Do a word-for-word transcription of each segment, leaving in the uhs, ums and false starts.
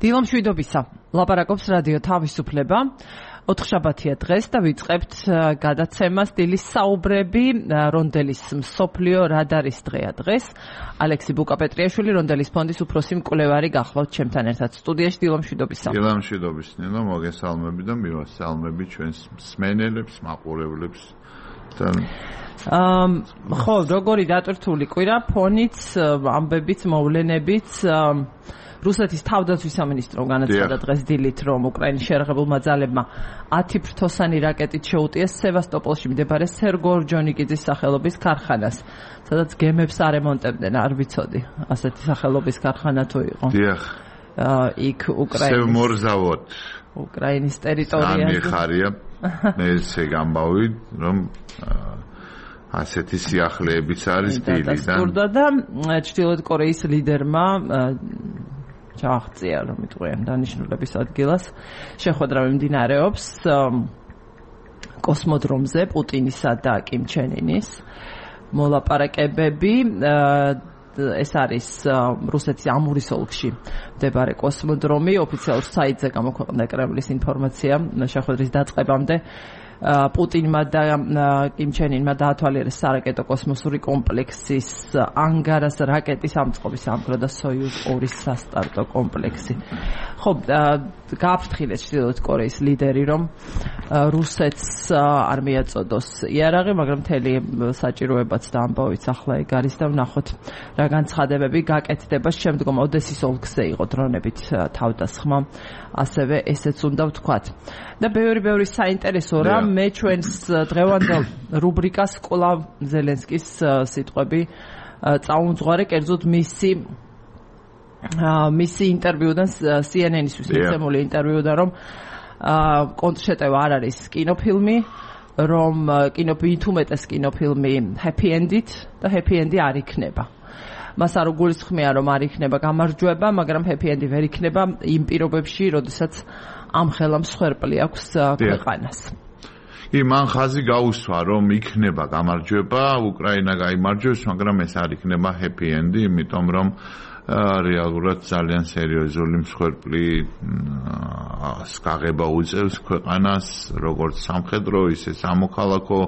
დილო მშვიდობისა. ლაპარაკობს რადიო თავისუფლება. ოთხშაბათია დღეს და ვიწყებთ გადაცემას დილის საუბრები რონდელის მსოფლიო რადარის დღეა დღეს. ალექსი ბუკაპეტრიაშვილი რონდელის ფონდის უფროსი მკვლევარი გახლავთ ჩემთან ერთად სტუდიაში. დილო მშვიდობისა. დილო მშვიდობის ნინო, მოგესალმები და მივასალმები ჩვენს მსმენელებს, მაყურებლებს. აა ხო, როგორი დატვირთული კვირა, ფონიც, ამბებიც, მოვლენებიც. რუსეთის თავდაცვის სამინისტრომ განაცხადა დღეს დილით, რომ უკრაინის შეიარაღებულმა ძალებმა ათი ფრთოსანი რაკეტით შეუტიეს სევასტოპოლში მდებარე სერგო ორჯონიკიძის სახელობის ქარხანას, სადაც გემებს არემონტებდნენ, არ ვიცოდი, ასეთი სახელობის ქარხანა თუ იყო. დიახ. აა იქ უკრაინის სევმორზავოდ უკრაინის ტერიტორიაზე. ამიხარია. მე ესე გამბავი, რომ ასეთი სიახლეებიც არის დილიდან. და ჩრდილოეთ კორეის ლიდერმა ჩააღწია, რომ იტყვიან დანიშნულების ადგილას შეხვედრა მიმდინარეობს კოსმოდრომზე პუტინისა და კიმ ჩენ ინის მოლაპარაკებები. ეს არის რუსეთის ამურის ოლქში მდებარე კოსმოდრომი. ოფიციალურ საიტზე გამოქვეყნდა კრემლის ინფორმაცია შეხვედრის დაწყებამდე. პუტინმა და კიმ ჩენ ინმა დაათვალიერეს სარაკეტო კოსმოსური კომპლექსის ანგარას რაკეტის ამწყობის ამქრო და სოიუზ ორი სასტარტო კომპლექსი. ხო, გააფრთხილეს ჩრდილოეთ კორეის ლიდერი, რომ რუსეთს არ მიაწოდოს იარაღი, მაგრამ მთელი საჭიროებაც და ამბავიც ახლა ეგ არის და ვნახოთ რა განცხადებები გაკეთდება. შემდგომ ოდესის ოლქზე იყო დრონებით თავდასხმა, ასევე ესეც უნდა ვთქვათ. და ბევრი ბევრი საინტერესო რა, მე ჩვენს დღევანდელ რუბრიკას კვლავ ზელენსკის სიტყვები წაუმძღვარე, კერძოდ მისი მისი ინტერვიუდან სი ენ ენ-ისთვის მიცემული ინტერვიუდან, რომ კონტრშეტევა არ არის კინოფილმი, რომ კინოფილმი უმეტეს კინოფილმი happy end-ით და happy end-ი არ იქნება. მას არ უგულისხმია, რომ არ იქნება გამარჯვება, მაგრამ happy end-ი ვერ იქნება იმ პირობებში, როდესაც ამ ხელა მსხვერპლი აქვს ქვეყანას. კი, მან ხაზი გაუსვა, რომ იქნება გამარჯვება, უკრაინა გაიმარჯვებს, მაგრამ ეს არ იქნება happy end-ი, იმიტომ რომ რეალურად ძალიან სერიოზული მსხვერპლი გაღება უწევს ქვეყანას, როგორც სამხედრო, ისე სამოქალაქო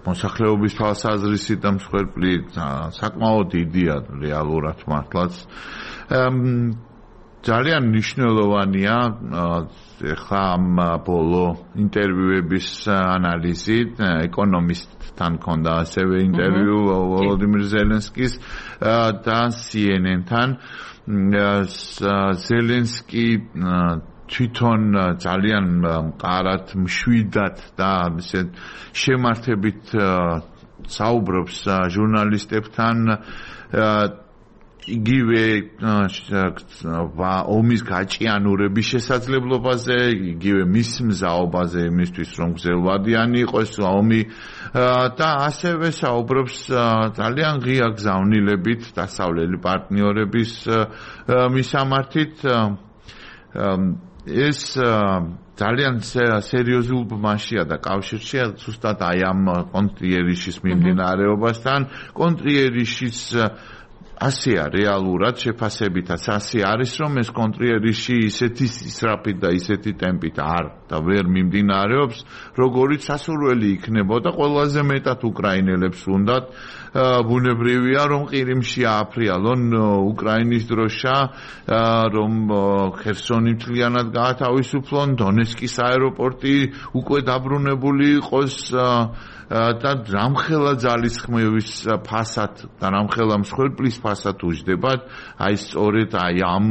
მოსახლეობის თვალსაზრისით და მსხვერპლი საკმაოდ დიდია რეალურად მართლაც. ძალიან მნიშვნელოვანია ახლა ამ ბოლო ინტერვიუების ანალიზი. ეკონომისტთან ქონდა ასევე ინტერვიუ ვოლოდიმირ ზელენსკის და სი ენ ენ-თან. ზელენსკი თვითონ ძალიან მყარად, მშვიდად და ისე შემართებით საუბრობს ჟურნალისტებთან. იგივე ომის გაჭიანურების შესაძლებლობაზე, იგივე მის მზაობაზე იმისთვის, რომ გზელვადიანი იყოს ომი და ასევე საუბრობს ძალიან ღია გზავნილებით დასავლელი პარტნიორების მისამართით. ეს ძალიან სერიოზულ ბმაშია და კავშირშია ზუსტად აი ამ კონტრიერიშის მიმდინარეობასთან. კონტრიერიშის ასეა რეალურად შეფასებითაც ასე არის, რომ ეს კონტრიერიში ისეთი ისრაფით და ისეთი ტემპით არ და ვერ მიმდინარეობს, როგორიც სასურველი იქნებოდა ყველაზე მეტად უკრაინელებს უნდათ. ბუნებრივია, რომ ყირიმში ააფრიალონ უკრაინის დროშა, რომ ხერსონი მთლიანად გაათავისუფლონ, დონეცკის აეროპორტი უკვე დაბრუნებული იყოს და რამხელა ძალისხმევის ფასად და რამხელა მსხვერპლის ფასად უჯდებათ, აი სწორედ აი ამ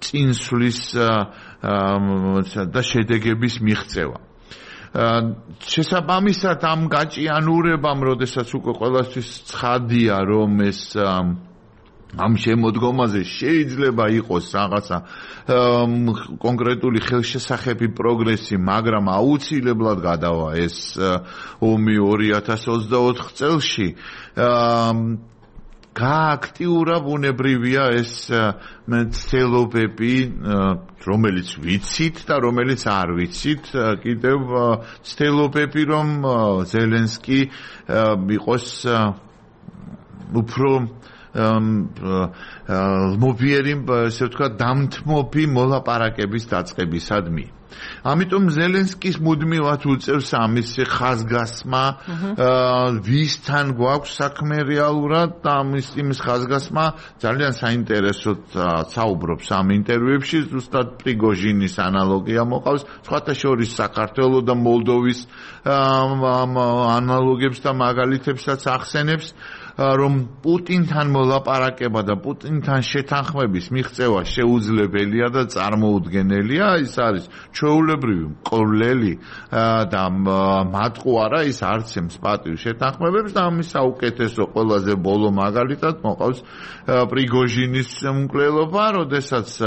წინსვლის და შედეგების მიღწევა. შესაბამისად ამ გაჭიანურებამ, როდესაც უკვე ყველასთვის ცხადია, რომ ეს ამ შემოდგომაზე შეიძლება იყოს რაღაცა კონკრეტული ხელშესახები პროგრესი, მაგრამ აუცილებლად გადავა ეს ომი ორი ათას ოცდაოთხ წელში. გააქტიურა ბუნებრივია ეს მცდელობები, რომელიც ვიცით და რომელიც არ ვიცით, კიდევ მცდელობები, რომ ზელენსკი იყოს უფრო მობიერი, ესე ვთქვათ, დამთმობი მოლაპარაკების დაწყებისადმი. ამიტომ ზელენსკის მუდმივად უწევს ამის ხაზგასმა, ვისთან გვაქვს საქმე რეალურად და ამის იმის ხაზგასმა ძალიან საინტერესოდ საუბრობს ამ ინტერვიუებში, ზუსტად პრიგოჟინის ანალოგია მოყავს, სხვათა შორის საქართველოს და მოლდოვის ანალოგებს და მაგალითებსაც ახსენებს, რომ პუტინთან მოლაპარაკება და პუტინთან შეთანხმების მიღწევა შეუძლებელია და წარმოუდგენელია, ის არის ჩვეულებრივი მკვლელი და მატყუარა, ის არც ემს პატივ შეთანხმებებს და ამის საუკეთესო ყველაზე ბოლო მაგალითად მოყავს პრიგოჟინის მკვლელობა, როდესაც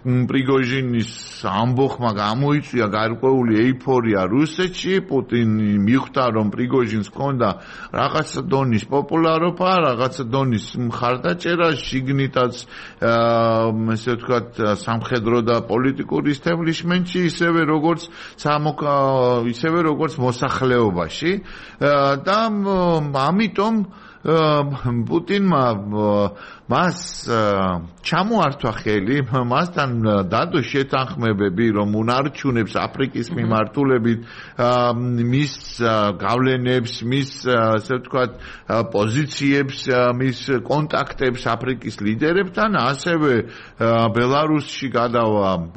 პრიგოჟინის ამბოხმა გამოიწვია გარკვეული ეიფორია რუსეთში, პუტინი მიხვდა, რომ პრიგოჟინს ჰქონდა რაღაცა დონის პოპულარობა, რაღაცა დონის მხარდაჭერა, შიგნითაც ესე ვთქვათ სამხედრო და პოლიტიკური ისტებლიშმენტში, ისევე როგორც ისევე როგორც მოსახლეობაში და ამიტომ პუტინმა მას ჩამოართვა ხელი, მასთან დადო შეთანხმებები, რომ უნარჩუნებს აფრიკის მიმართულებით მის გავლენებს, მის ასე ვთქვათ პოზიციებს, მის კონტაქტებს აფრიკის ლიდერებთან, ასევე ბელარუსში გადავა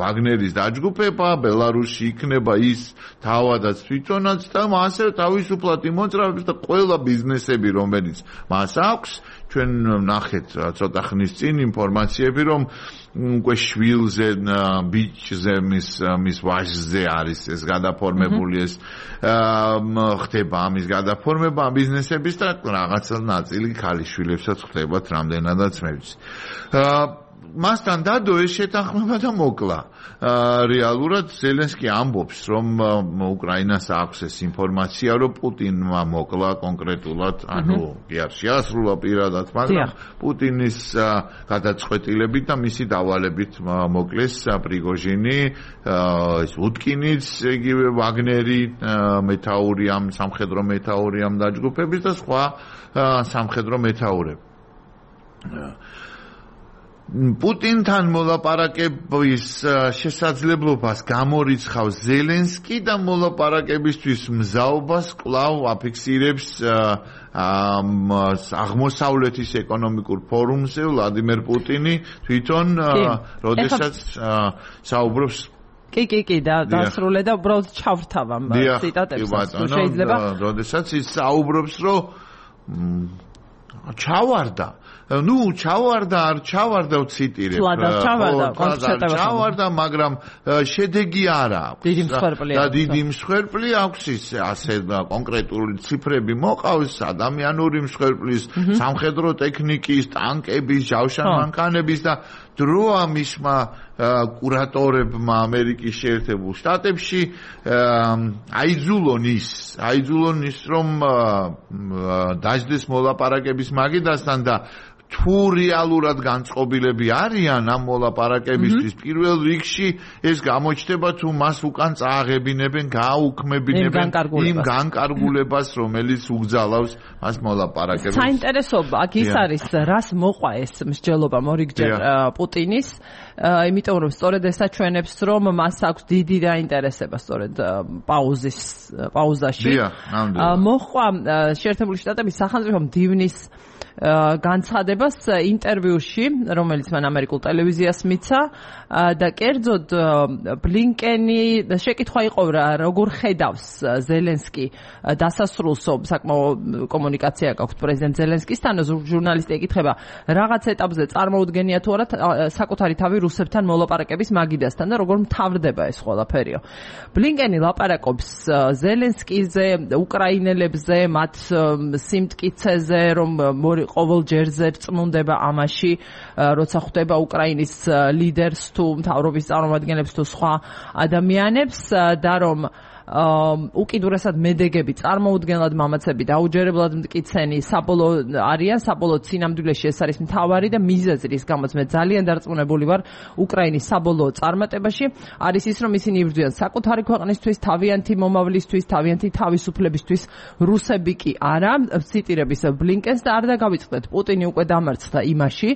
ვაგნერის დაჯგუფება, ბელარუსში იქნება ის თავადაც თვითონაც და ასევე თავისუფლად იმოძრავებს და ყველა ბიზნესები, რომელიც მას აქვს, ჩვენ ნახეთ ცოტა ხნის წინ ინფორმაციები, რომ უკვე შვილზე, ბიჭზე, მის მის ვაჟზე არის ეს გადაფორმებული, ეს ხდება ამის გადაფორმება ბიზნესების და რაღაცა ნაწილი ქალიშვილებსაც ხდებათ რამდენადაც მეც. მასთან დადო ეს შეთანხმება და მოკლა. რეალურად ზელენსკი ამბობს, რომ უკრაინას აქვს ეს ინფორმაცია, რომ პუტინმა მოკლა კონკრეტულად, ანუ კი არ შეასრულა პირადად, მაგრამ პუტინის გადაწყვეტილებით და მისი დავალებით მოკლეს პრიგოჟინი, ეს უტკინიც, იგივე ვაგნერი, მეთაური ამ სამხედრო მეთაური ამ დაჯგუფების და სხვა სამხედრო მეთაურები. პუტინთან მოლაპარაკების შესაძლებლობას გამორიცხავს ზელენსკი და მოლაპარაკებისთვის მზაობას კვლავ აფიქსირებს აღმოსავლეთის ეკონომიკურ ფორუმზე ვლადიმერ პუტინი თვითონ, როდესაც საუბრობს კი კი კი და დასრულე და უბრალოდ ჩავრთავამ ციტატებს, შეიძლება როდესაც ის საუბრობს, რომ ჩავარდა ნუ ჩავარდა არ ჩავარდა ვციტირებ ჩავარდა მაგრამ შედეგი არ აქვს დიდი მსხვერპლი და დიდი მსხვერპლი აქვს ის ასე კონკრეტული ციფრები მოყავს ადამიანური მსხვერპლის სამხედრო ტექნიკის ტანკების ჯავშანმანქანების და დროა მისმა კურატორებმა ამერიკის შეერთებულ შტატებში აიძულონ ის აიძულონ ის რომ დაждდეს მოლაპარაკების მაგიდასთან და თუ რეალურად განწყობილები არიან ამ მოლაპარაკებისთვის პირველ რიგში ეს გამოჩნდება თუ მას უკან წააღებინებენ გააუქმებინებენ იმ განკარგულებას რომელიც უგზალავს მას მოლაპარაკებებს. საინტერესო აქ ის არის რას მოყვა ეს მსჯელობა მორიგჯერ პუტინის, იმიტომ რომ სწორედ ეს აჩვენებს რომ მას აქვს დიდი დაინტერესება სწორედ პაუზის პაუზაში მოყვა შეერთებული შტატების სახელმწიფო მდივნის განცხადებას ინტერვიუში, რომელიც მან ამერიკულ ტელევიზიას მიცა და კერძოდ ბლინკენი შეკითხვა იყო რა როგორ ხედავს ზელენსკი დასასრულსო საკმაოდ კომუნიკაცია გაქვს პრეზიდენტ ზელენსკისთან, ჟურნალისტი ეკითხება რაღაც ეტაპზე წარმოუდგენია თუ არა საკუთარი თავი რუსებთან მოლაპარაკების მაგიდასთან და როგორ მთავრდება ეს ყველაფერიო. ბლინკენი ლაპარაკობს ზელენსკიზე, უკრაინელებზე, მათ სიმტკიცეზე, რომ ყოველ ჯერზე წმუნდება ამაში, როცა ხვდება უკრაინის ლიდერს თუ მთავრობის წარმომადგენლებს თუ სხვა ადამიანებს და რომ უკიდურესად მედეგები, წარმოუდგენლად მამაცები, დაუჯერებლად მტკიცენი, საბოლოო არიან, საბოლოო სინამდვილეში ეს არის მთავარი და მიზეზი, რის გამოც მე ძალიან დარწმუნებული ვარ უკრაინის საბოლოო წარმატებაში, არის ის, რომ ისინი იბრძვიან საკუთარი ქვეყნისთვის, თავიანთი მომავლისთვის, თავიანთი თავისუფლებისთვის, რუსები კი არა, ციტირების ბლინკენს და არ დაგავიწყდეთ, პუტინი უკვე დამარცხდა იმაში,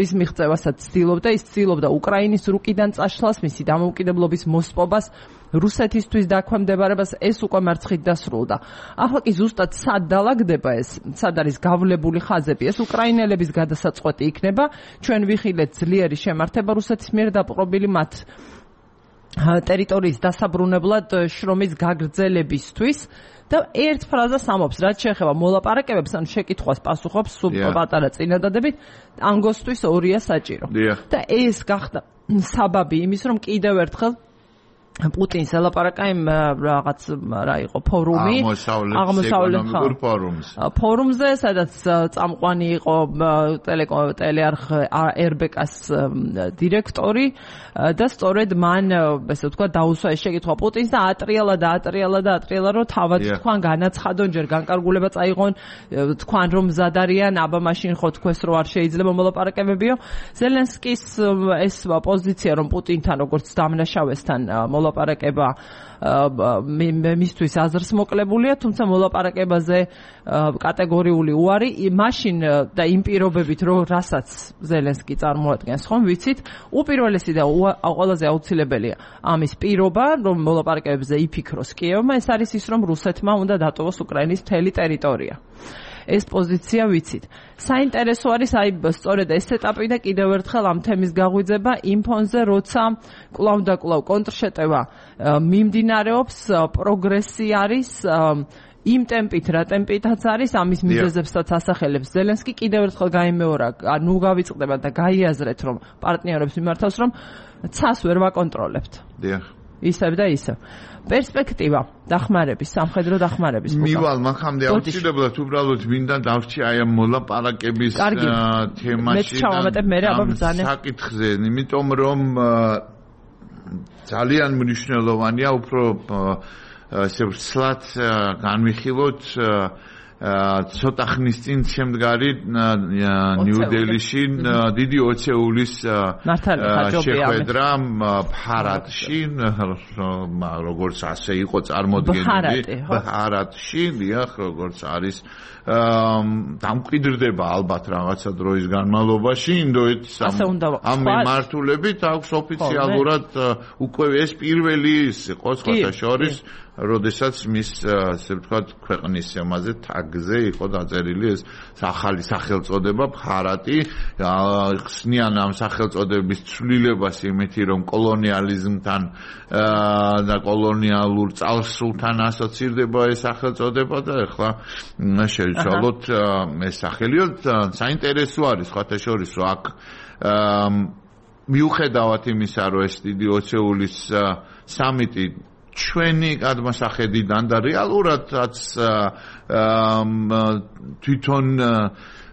რის მიღწევასაც ცდილობდა, ის ცდილობდა უკრაინის რუკიდან წაშლას, მისი დამოუკიდებლობის მოსპობას, რუსეთისთვის დაქვემდებარებას, ეს უკვე მარცხით დასრულდა. ახლა კი ზუსტად სად დალაგდება ეს, სად არის გავლებული ხაზები, ეს უკრაინელების გადასაწყვეტი იქნება, ჩვენ ვიხილეთ ძლიერი შემართება რუსეთის მიერ დაპყრობილი მათ ტერიტორიის დასაბრუნებლად შრომის გაგრძელებისთვის და ერთ ფრაზას ამობს, რაც შეეხება მოლაპარაკებებს, ან შეკითხვას პასუხობს სულ პატარა წინადადებით, ანგოსთვის ორია საჭირო. და ეს გახდა საბაბი იმის, რომ კიდევ ერთხელ პუტინს ელაპარაკა იმ რაღაც რა იყო ფორუმი აღმოსავლეთ ფორუმს ფორუმზე სადაც წამყვანი იყო ტელეარხ er be ka-ს დირექტორი და სწორედ მან ესე ვთქვა დაუსვა ეს შეკითხვა პუტინს და ატრიალა და ატრიალა და ატრიალა რომ თავად თქვან განაცხადონ ჯერ განკარგულება წაიღონ თქვან რომ მზად არიან აბა მაშინ ხო თქვეს რომ არ შეიძლება მოლაპარაკებებიო ზელენსკის ეს პოზიცია რომ პუტინთან როგორც დამნაშავესთან მოლაპარაკება მისთვის აზრს მოკლებულია, თუმცა მოლაპარაკებაზე კატეგორიული უარი, მაშინ და იმ პირობებით, რომ რასაც ზელენსკი წარმოადგენს, ხომ ვიცით, უპირველესი და ყველაზე აუცილებელია ამის პირობა, რომ მოლაპარაკებებზე იფიქროს კიევმა, ეს არის ის, რომ რუსეთმა უნდა დატოვოს უკრაინის მთელი ტერიტორია. ეს პოზიცია ვიცით. საინტერესო არის აი სწორედ ეს ეტაპი და კიდევ ერთხელ ამ თემის გაღვიძება იმ ფონზე, როცა კვლავ და კვლავ კონტრშეტევა მიმდინარეობს, პროგრესი არის იმ ტემპით, რა ტემპითაც არის, ამის მიზეზებსაც ასახელებს ზელენსკი, კიდევ ერთხელ გაიმეორა, ნუ გავიწყდება და გაიაზრეთ, რომ პარტნიორებს მიმართავს, რომ ცას ვერ ვაკონტროლებთ. დიახ. ისევ და ისევ. პერსპექტივა დახმარების, სამხედრო დახმარების. მივალ მაგამდე აუცილებლად უბრალოდ მინდა დავრჩი აი ამ მოლაპარაკების თემაში და საკითხზე, იმიტომ რომ ძალიან მნიშვნელოვანია უფრო ესე ვცლად განვიხილოთ ცოტა ხნის წინ შემდგარი ნიუ-დელიში დიდი ოცეულის შეხვედრა ფარატში, როგორც ასე იყო წარმოდგენილი, ფარატში, დიახ, როგორც არის დამკვიდრდება ალბათ რაღაცა დროის განმავლობაში ინდოეთის ამ მიმართულებით აქვს ოფიციალურად უკვე ეს პირველი იყო სხვათა შორის როდესაც მის ასე ვთქვათ ქვეყნის ამაზე თაგზე იყო დაწერილი ეს ახალი სახელწოდება ფარატი ხსნიან ამ სახელწოდების ცვლილებას იმითი რომ კოლონიალიზმთან და კოლონიალურ წარსულთან ასოცირდება ეს სახელწოდება და ეხლა შევცვალოთ ეს სახელიო საინტერესო არის სხვათა შორის რომ აქ მიუხედავად იმისა რომ ეს დიდი ოცეულის სამიტი ჩვენი გადმოსახედიდან და რეალურადაც თვითონ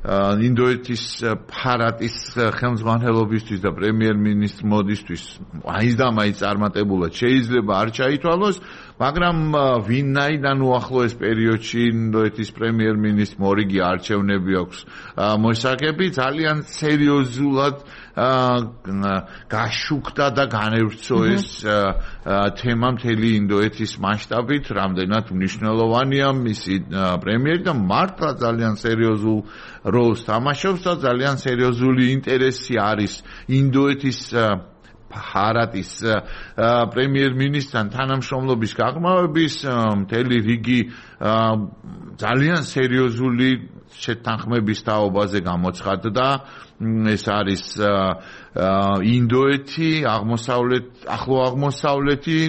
ინდოეთის ფარატის ხელმძღვანელობისთვის და პრემიერ-მინისტრ მოდისთვის აი და მაინც წარმატებულად შეიძლება არ ჩაითვალოს, მაგრამ ვინაიდან უახლოეს პერიოდში ინდოეთის პრემიერ-მინისტრ მორიგი არჩევნები აქვს მოსაგები, ძალიან სერიოზულად გაშუქდა და განევრცო ეს თემა მთელი ინდოეთის მასშტაბით, რამდენად მნიშვნელოვანია მისი პრემიერი და მართლა ძალიან სერიოზულ როლს თამაშობს და ძალიან სერიოზული ინტერესი არის ინდოეთის ფარატის პრემიერ-მინისტრთან თანამშრომლობის გაღრმავების მთელი რიგი ძალიან სერიოზული შეთანხმების თაობაზე გამოცხადდა. ეს არის ინდოეთი, აღმოსავლეთ, ახლო აღმოსავლეთი,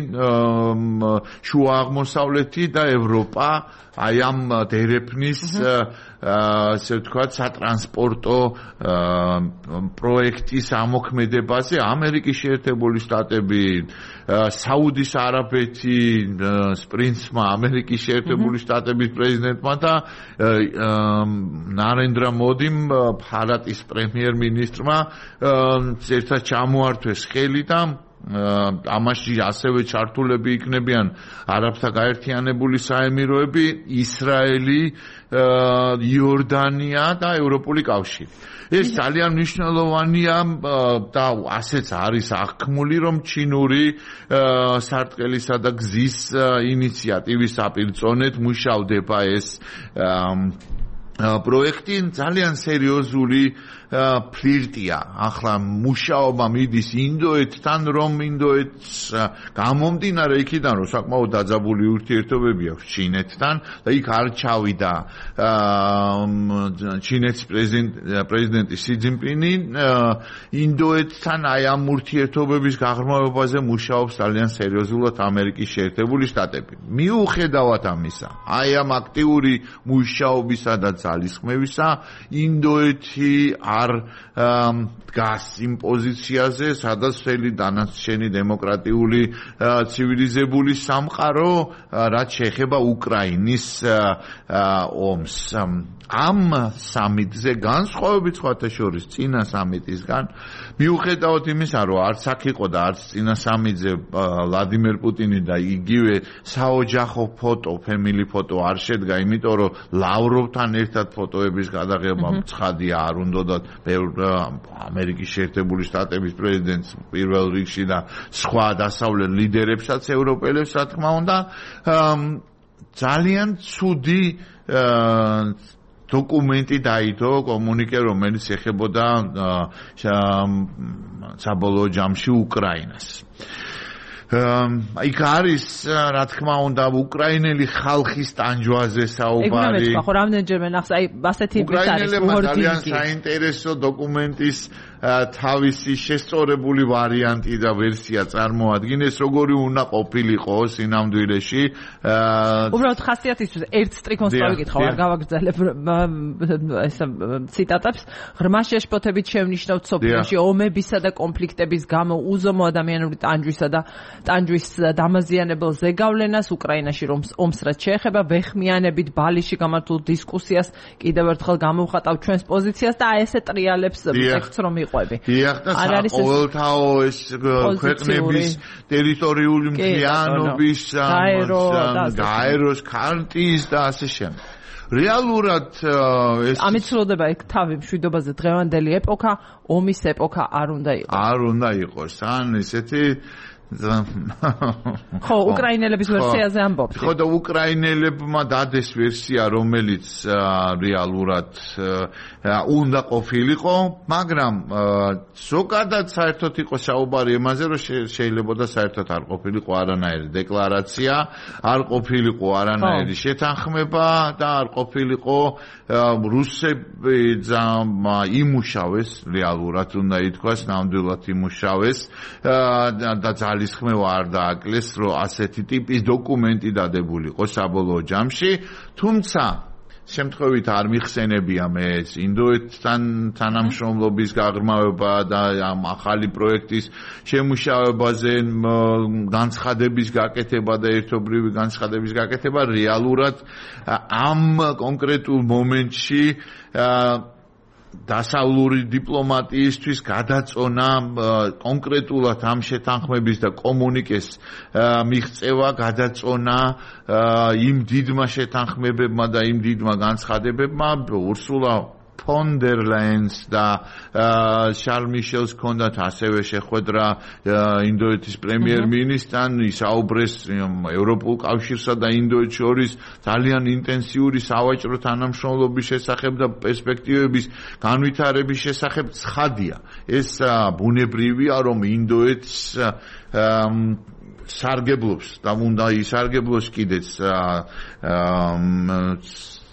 შუა აღმოსავლეთი და ევროპა აი ამ დერეფნის ასე ვთქვათ სატრანსპორტო პროექტის ამოქმედებაზე ამერიკის შეერთებული შტატები, საუდის არაბეთი, პრინცმა ამერიკის შეერთებული შტატების პრეზიდენტმა და ნარენდრა მოდიმ ფარატის პრემიერ-მინისტრმა ერთად ჩამოართვეს ხელი და ამაში ასევე ჩართულები იქნებიან არაბთა გაერთიანებული საემიროები, ისრაელი, იორდანია და ევროპული კავშირი. ეს ძალიან მნიშვნელოვანია და ასეც არის აღქმული, რომ ჩინური სარტყელისა და გზის ინიციატივის საპირწონედ მუშავდება ეს პროექტი. ძალიან სერიოზული ფლირტია. ახლა მუშაობა მიდის ინდოეთთან, რომ ინდოეთს გამომდინარე იქიდან, რომ საკმაოდ დაძაბული ურთიერთობები აქვს ჩინეთთან და იქ არ ჩავიდა ჩინეთის პრეზიდენტი სი ძინპინი, ინდოეთთან აი ამ ურთიერთობების გაღრმავებაზე მუშაობს ძალიან სერიოზულად ამერიკის შეერთებული შტატები. მიუხედავად ამისა, აი ამ აქტიური მუშაობისა და ძალისხმევისა, ინდოეთი არ დგას იმ პოზიციაზე, სადაც მთელი დანარჩენი დემოკრატიული ცივილიზებული სამყარო, რაც შეეხება უკრაინის ომს. ამ სამიტზე განსხვავებით სხვათა შორის წინა სამიტისგან, მიუხედავად იმისა, რომ არც აქ იყო და არც წინა სამიტზე ვლადიმერ პუტინი და იგივე საოჯახო ფოტო, ფემილი ფოტო არ შედგა, იმიტომ რომ ლავროვთან ერთად ფოტოების გადაღება ცხადია არ უნდათ ამერიკის შეერთებული შტატების პრეზიდენტს პირველ რიგში და სხვა დასავლეთ ლიდერებსაც, ევროპელებს, რა თქმა უნდა, ძალიან ცუდი დოკუმენტი დაიდო, კომუნიკე, რომელიც ეხებოდა საბოლოო ჯამში უკრაინას. იქ არის, რა თქმა უნდა, უკრაინელი ხალხის ტანჯვაზე საუბარი. ეგ ხო რამდენჯერმე ნახს, აი ასეთი ის არის ვორდინგი. ძალიან საინტერესო დოკუმენტის თავისი შესწორებული ვარიანტი და ვერსია წარმოადგენს, როგორი უნდა ყოფილიყო სინამდვილეში. უბრალოდ ხასიათისთვის ერთ სტრიქონს გავიკითხავ, არ გავაგრძელებ ეს ციტატებს. ღრმა შეშფოთებით შევნიშნავთ სოფლიოში ომებისა და კონფლიქტების გამო უზომო ადამიანური ტანჯვისა და ტანჯვის დამაზიანებელ ზეგავლენას უკრაინაში ომს რაც შეეხება ვეხმიანებით ბალიში გამართულ დისკუსიას კიდევ ერთხელ გამოვხატავ ჩვენს პოზიციას და აი ესე ტრიალებს ტექსტს რომ დიახ და ყოველთაო ეს ქვეყნების ტერიტორიული მთლიანობის გაეროს ქარტიის და ასე შემდეგ. რეალურად ეს ამით სრულდება ეგ თავი მშვიდობაზე დღევანდელი ეპოქა, ომის ეპოქა არ უნდა იყოს. არ უნდა იყოს, ან ესეთი ხო, უკრაინელების ვერსიაზე ამბობთ. ხო და უკრაინელებმა დადეს ვერსია, რომელიც რეალურად უნდა ყოფილიყო, მაგრამ ზოგადად საერთოდ იყო საუბარი იმაზე, რომ შეიძლება და საერთოდ არ ყოფილიყო არანაირი დეკლარაცია, არ ყოფილიყო არანაირი შეთანხმება და არ ყოფილიყო რუსები იმუშავეს, რეალურად უნდა ითქვას, ნამდვილად იმუშავეს და ძალისხმევა არ დააკლეს, რომ ასეთი ტიპის დოკუმენტი დადებულიყო საბოლოო ჯამში, თუმცა შემთხვევით არ მიხსენებია მე ეს ინდოეთთან თანამშრომლობის გაღრმავება და ამ ახალი პროექტის შემუშავებაზე განცხადების გაკეთება და ერთობლივი განცხადების გაკეთება რეალურად ამ კონკრეტულ მომენტში დასავლური დიპლომატიისთვის გადაწონა კონკრეტულად ამ შეთანხმების და კომუნიკეს მიღწევა გადაწონა იმ დიდმა შეთანხმებებმა და იმ დიდმა განცხადებებმა ურსულა ფონ დერ ლაიენს და შარლ მიშელს ჰქონდათ ასევე შეხვედრა ინდოეთის პრემიერ-მინისტრთან, ისაუბრეს ევროპულ კავშირსა და ინდოეთს შორის ძალიან ინტენსიური სავაჭრო თანამშრომლობის შესახებ და პერსპექტივების განვითარების შესახებ. ცხადია, ეს ბუნებრივია, რომ ინდოეთს სარგებლობს და უნდა ისარგებლოს კიდეც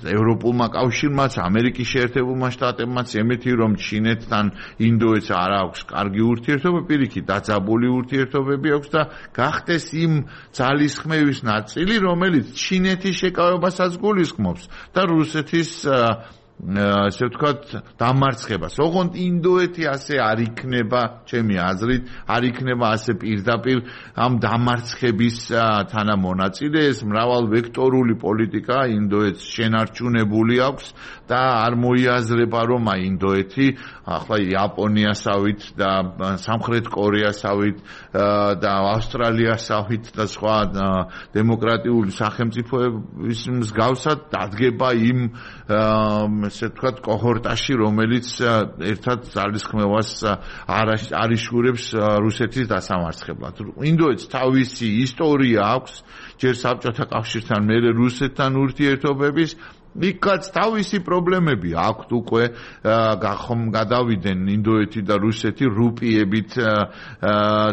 ევროპულმა კავშირმაც, ამერიკის შეერთებულმა შტატებმაც, ემეთი რომ ჩინეთთან ინდოეთს არ აქვს კარგი ურთიერთობა, პირიქით დაძაბული ურთიერთობები აქვს და გახდეს იმ ძალისხმევის ნაწილი, რომელიც ჩინეთის შეკავებასაც გულისხმობს და რუსეთის ასე ვთქვათ, დამარცხებას. ოღონდ ინდოეთი ასე არ იქნება, ჩემი აზრით, არ იქნება ასე პირდაპირ ამ დამარცხების თანამონაწილე. ეს მრავალვექტორული პოლიტიკა ინდოეთს შენარჩუნებული აქვს და არ მოიაზრება, რომ აი ინდოეთი ახლა იაპონიასავით და სამხრეთ კორეასავით და ავსტრალიასავით და სხვა დემოკრატიული სახელმწიფოების მსგავსად დადგება იმ ესე ვთქვათ კოჰორტაში, რომელიც ერთად ძალისხმევას არ იშურებს რუსეთის დასამარცხებლად. ინდოეთს თავისი ისტორია აქვს, ჯერ საბჭოთა კავშირთან, მერე რუსეთთან ურთიერთობების, იქაც თავისი პრობლემები აქვთ უკვე გახომ გადავიდნენ ინდოეთი და რუსეთი რუპიებით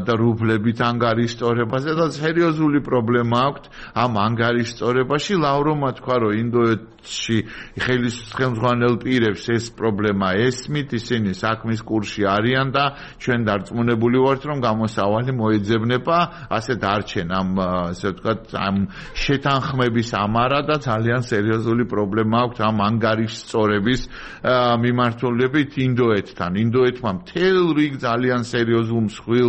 და რუბლებით ანგარიშტორებაზე და სერიოზული პრობლემა აქვთ ამ ანგარიშტორებაში. ლავროვმა თქვა, რომ ინდოეთში ხელმძღვანელ პირებს ეს პრობლემა ესმით, ისინი საქმის კურსში არიან და ჩვენ დარწმუნებული ვართ, რომ გამოსავალი მოეძებნება, ასე დარჩენ ამ ასე ვთქვათ ამ შეთანხმების ამარა და ძალიან სერიოზული პრობლემა პრობლემა აქვს ამ ანგარიშსწორების მიმართულებით ინდოეთთან. ინდოეთმა მთელ რიგ ძალიან სერიოზულ მსხვილ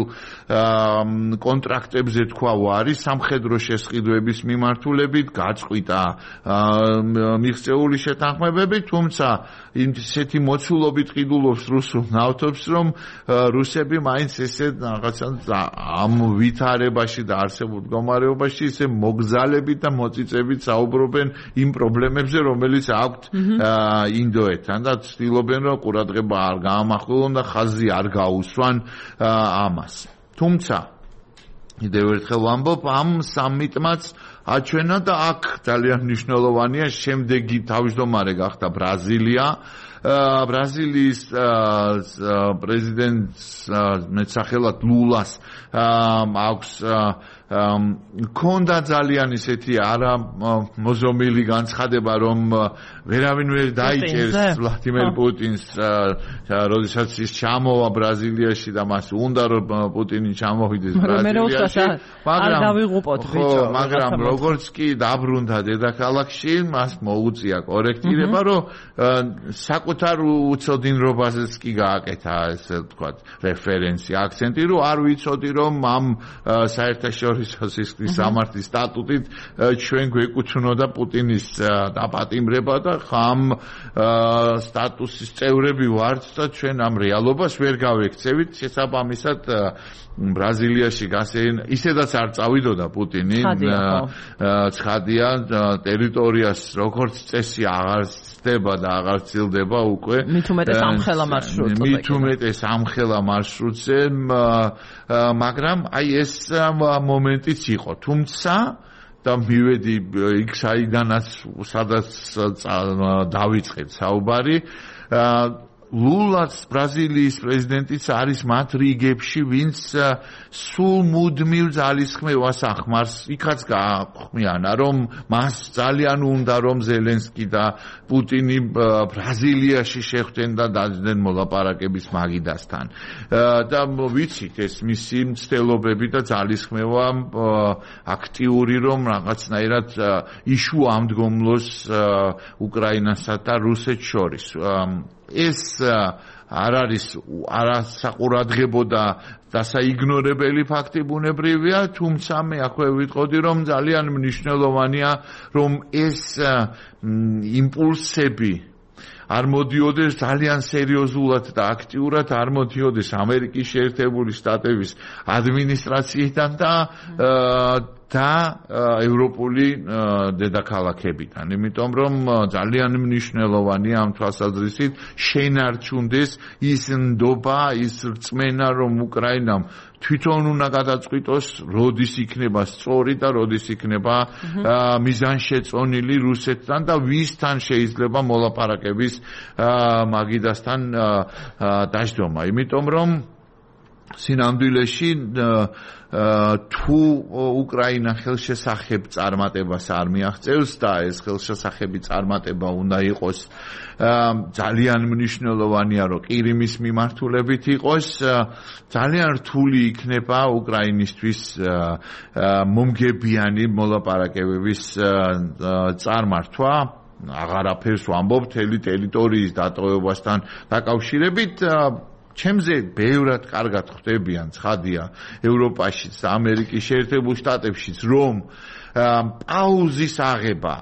კონტრაქტებზე თქვა უარი სამხედრო შესყიდვების მიმართულებით, გაწყვიტა მიღწეული შეთანხმებები, თუმცა ისეთი მოცულობით ყიდულობს რუსულ ნავთობს, რომ რუსები მაინც ესე რაღაცა ამ ვითარებაში და არსებულ მდგომარეობაში ისე მოგზალებით და მოწიწებით საუბრობენ იმ პრობლემებზე, რომელიც აქვთ ინდოეთთან და ცდილობენ, რომ ყურადღება არ გაამახვილონ და ხაზი არ გაუსვან ამას. თუმცა კიდევ ერთხელ ვამბობ, ამ სამიტმაც აჩვენა და აქ ძალიან მნიშვნელოვანია შემდეგი თავმჯდომარე გახდა ბრაზილია. ბრაზილიის პრეზიდენტს მეტსახელად ლულას აქვს ქონდა ძალიან ისეთი არა მოზომილი განცხადება, რომ ვერავინ ვერ დაიჭერს ვლადიმერ პუტინს, როდესაც ის ჩამოვა ბრაზილიაში და მას უნდა რომ პუტინი ჩამოვიდეს ბრაზილიაში, მაგრამ როგორც კი დაბრუნდა დედაქალაქში, მას მოუწია კორექტირება, რომ საკუთარ უცოდინრობაზეც კი გააკეთა, ესე ვთქვათ, რეფერენსი, აქცენტი, რომ არ ვიცოდი, რომ ამ საერთაშორისო სისხლის სამართლის სტატუტით ჩვენ გვეკუთვნოდა პუტინის დაპატიმრება და ხამ სტატუსის წევრები ვართ და ჩვენ ამ რეალობას ვერ გავექცევით. შესაბამისად ბრაზილიაში გასეინ ისედაც არ წავიდოდა პუტინი, ცხადია ტერიტორიას როგორც წესი აღარ ცდება და აღარ ცილდება უკვე. მით უმეტეს ამხელა მარშრუტზე. მით უმეტეს ამხელა მარშრუტზე, მაგრამ აი ეს მომენტიც იყო. თუმცა და მივედი იქ საიდანაც სადაც დავიწყეთ საუბარი, ლულაც ბრაზილიის პრეზიდენტიც არის მათ რიგებში, ვინც სულ მუდმივ ძალისხმევას ახმარს. იქაც გაახვმიანა, რომ მას ძალიან უნდა, რომ ზელენსკი და პუტინი ბრაზილიაში შეხვდნენ და დაძდნენ მოლაპარაკების მაგიდასთან. და ვიცით ეს მისი მცდელობები და ძალისხმევა აქტიური, რომ რაღაცნაირად იშუ ამდგომლოს უკრაინასა და რუსეთს შორის. ეს არ არის არასაყურადღებო და დასაიგნორებელი ფაქტი ბუნებრივია, თუმცა მე აქვე ვიტყოდი, რომ ძალიან მნიშვნელოვანია, რომ ეს იმპულსები არ მოდიოდეს ძალიან სერიოზულად და აქტიურად, არ მოდიოდეს ამერიკის შეერთებული შტატების ადმინისტრაციიდან და და ევროპული დედაქალაქებიდან. იმიტომ რომ ძალიან მნიშვნელოვანია ამ თვალსაზრისით შენარჩუნდეს ის ნდობა, ის რწმენა, რომ უკრაინამ თვითონ უნდა გადაწყვიტოს, როდის იქნება სწორი და როდის იქნება მიზანშეწონილი რუსეთთან და ვისთან შეიძლება მოლაპარაკების მაგიდასთან დაждომა. იმიტომ რომ სინამდვილეში თუ უკრაინა ხელშესახებ წარმატებას არ მიაღწევს და ეს ხელშესახები წარმატება უნდა იყოს ძალიან მნიშვნელოვანია, რომ ყირიმის მიმართულებით იყოს, ძალიან რთული იქნება უკრაინისთვის მომგებიანი მოლაპარაკებების წარმართვა. აღარაფერს ვამბობ მთელი ტერიტორიის დატოვებასთან დაკავშირებით ჩემზე ბევრად კარგად ხვდებიან ცხადია ევროპაშიც და ამერიკის შეერთებულ შტატებშიც რომ პაუზის აღება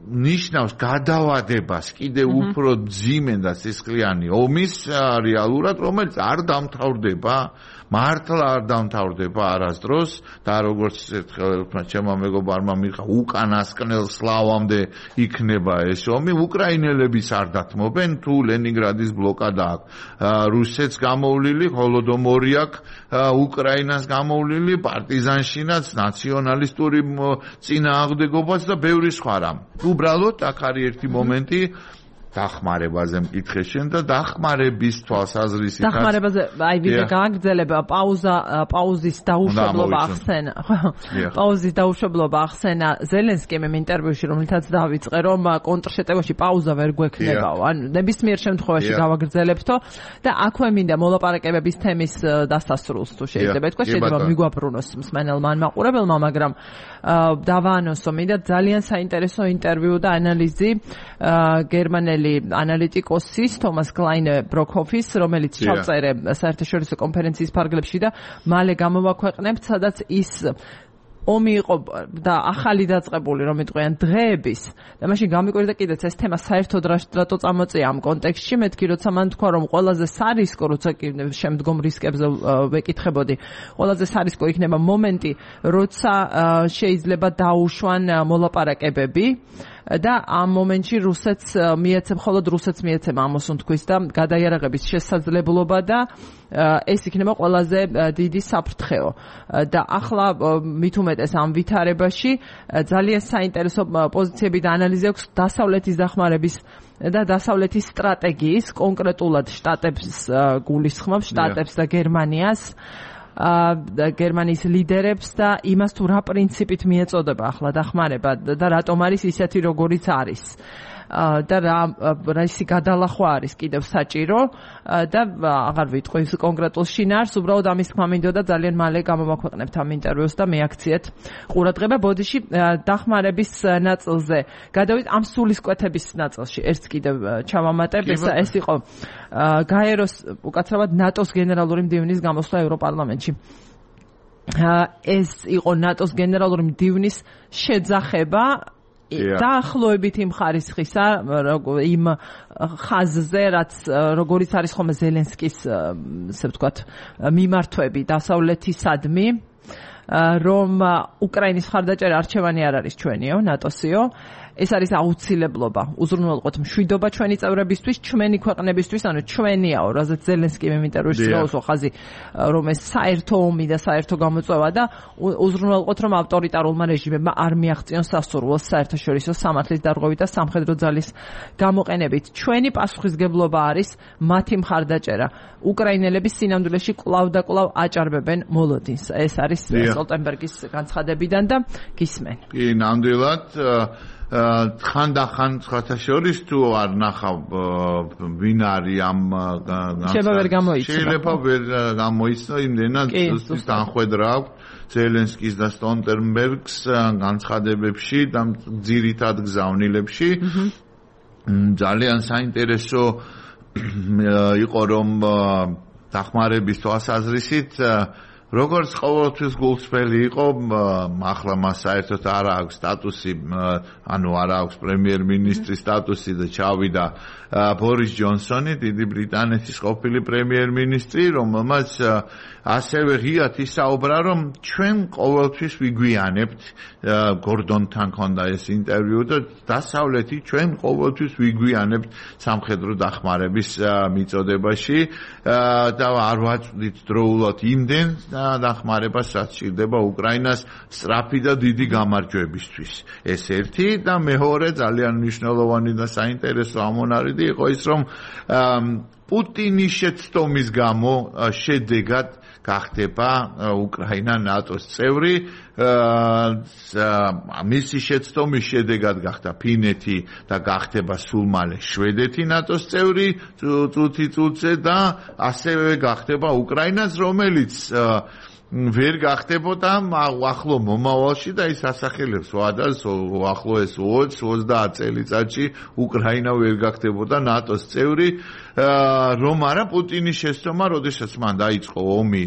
ნიშნავს გადავადებას კიდევ უფრო ძიმენ და სისხლიანი ომის რეალურად რომელიც არ დამთავრდება მართლა არ დამთავრდება არასდროს და როგორც ერთხელ ჩემმა მეგობარმა მიხა უკანასკნელ სლავამდე იქნება ეს ომი უკრაინელებიც არ დათმობენ თუ ლენინგრადის ბლოკადა აქვს რუსეთს გამოვლილი ჰოლოდომორი აქვს უკრაინას გამოვლილი პარტიზანშინაც ნაციონალისტური წინააღმდეგობაც და ბევრი სხვა რამ უბრალოდ აქ არის ერთი მომენტი დახმარებაზე მკითხე შენ და დახმარების თვალსაზრისით დახმარებაზე აი ვიდეო გააგრძელება პაუზა პაუზის დაუშვებლობა ახსენა პაუზის დაუშვებლობა ახსენა ზელენსკიმ ინტერვიუში რომელთაც დავიწყე რომ კონტრშეტევაში პაუზა ვერ გვექნებაო ან ნებისმიერ შემთხვევაში გავაგრძელებთო და აქვე მინდა მოლაპარაკებების თემის დასასრულს თუ შეიძლება თქვა შეიძლება მიგვაბრუნოს მსმენელმა ან მაყურებელმა მაგრამ დავაანონსო მინდა ძალიან საინტერესო ინტერვიუ და ანალიზი გერმანელი ანალიტიკოსის თომას კლაინე ბროკჰოფის რომელიც ჩავწერე საერთაშორისო კონფერენციის ფარგლებში და მალე გამოვაქვეყნებთ სადაც ის ომი იყო და ახალი დაწყებული რომ იტყვიან დღეების და მაშინ გამიკვირდა კიდეც ეს თემა საერთოდ რატო წამოწია ამ კონტექსტში მეთქი როცა მან თქვა რომ ყველაზე სარისკო როცა შემდგომ რისკებზე ვეკითხებოდი ყველაზე სარისკო იქნება მომენტი როცა შეიძლება დაუშვან მოლაპარაკებები და ამ მომენტში რუსეთს მიეცემ მხოლოდ რუსეთს მიეცემა ამას თქვის და გადაიარაღების შესაძლებლობა და ეს იქნება ყველაზე დიდი საფრთხეო და ახლა მით უმეტეს ამ ვითარებაში ძალიან საინტერესო პოზიციები და ანალიზი აქვს დასავლეთის დახმარების და დასავლეთის სტრატეგიის კონკრეტულად შტატებს გულისხმობს შტატებს და გერმანიას გერმანიის ლიდერებს და იმას თუ რა პრინციპით მიეწოდება ახლა დახმარება და რატომ არის ისეთი როგორიც არის და რა რისი გადალახვა არის კიდევ საჭირო და აღარ ვიტყვი კონკრეტულ შინაარს უბრალოდ ამის თქმა მინდოდა ძალიან მალე გამოვაქვეყნებთ ამ ინტერვიუს და მეაქციეთ ყურადღება ბოდიში დახმარების ნაწილზე გადავით ამ სულისკვეთების ნაწილში ერთს კიდევ ჩავამატებ ეს იყო გაეროს უკაცრავად ნატოს გენერალური მდივნის გამოსვლა ევროპარლამენტში ეს იყო ნატოს გენერალური მდივნის შეძახება დაახლოებით იმ ხარისხისა იმ ხაზზე რაც როგორიც არის ხოლმე ზელენსკის ესე ვთქვათ მიმართვები დასავლეთისადმი რომ უკრაინის მხარდაჭერა არჩევანი არ არის ჩვენიო ნატოსიო ეს არის აუცილებლობა უზრუნველყოთ მშვიდობა ჩვენი წევრებისთვის ჩვენი ქვეყნებისთვის ანუ ჩვენიაო რაზეც ზელენსკი ინტერვიუში გაუსვა ხაზი რომ ეს საერთო ომი და საერთო გამოწვევა და უზრუნველყოთ რომ ავტორიტარულმა რეჟიმებმა არ მიაღწიონ სასურველს საერთაშორისო სამართლის დარღვევით და სამხედრო ძალის გამოყენებით ჩვენი პასუხისგებლობა არის მათი მხარდაჭერა უკრაინელების სინამდვილეში კვლავ და კვლავ აჭარბებენ მოლოდინს ეს არის სტოლტენბერგის განცხადებიდან და გისმენ კი ნამდვილად ხანდახან სხვათა შორის თუ არ ნახავ ვინ არის ამ შეიძლება ვერ გამოიცნო შეიძლება ვერ გამოიცნო იმდენად განხვედრა აქვს ზელენსკის და სტოლტენბერგს განცხადებებში და ძირითად გზავნილებში ძალიან საინტერესო იყო რომ დახმარების თვალსაზრისით როგორც ყოველთვის გულწრფელი იყო ახლა მას საერთოდ არ აქვს სტატუსი ანუ არ აქვს პრემიერ-მინისტრის სტატუსი და ჩავიდა ბორის ჯონსონი დიდი ბრიტანეთის ყოფილი პრემიერ-მინისტრი რომელმაც ასევე ღიად ისაუბრა რომ ჩვენ ყოველთვის ვიგვიანებთ გორდონთან ჰქონდა ეს ინტერვიუ და დასავლეთი ჩვენ ყოველთვის ვიგვიანებთ სამხედრო დახმარების მიწოდებაში და არ ვაწვდით დროულად იმდენ დახმარებას რაც სჭირდება უკრაინას სწრაფი და დიდი გამარჯვებისთვის ეს ერთი და მეორე ძალიან მნიშვნელოვანი და საინტერესო ამონარიდი იყო ის რომ პუტინის შეცდომის გამო შედეგად გახდება უკრაინა ნატოს წევრი მისი შეცდომის შედეგად გახდა ფინეთი და გახდება სულ მალე შვედეთი ნატოს წევრი წუთი წუთზე და ასევე გახდება უკრაინაც რომელიც ვერ გახდებოდა ახლო მომავალში და ის ასახელებს ვადას ახლოეს ოცდაათი ოცდაათი წელიწადში უკრაინა ვერ გახდებოდა ნატოს წევრი რომ არა პუტინის შეცდომა როდესაც მან დაიწყო ომი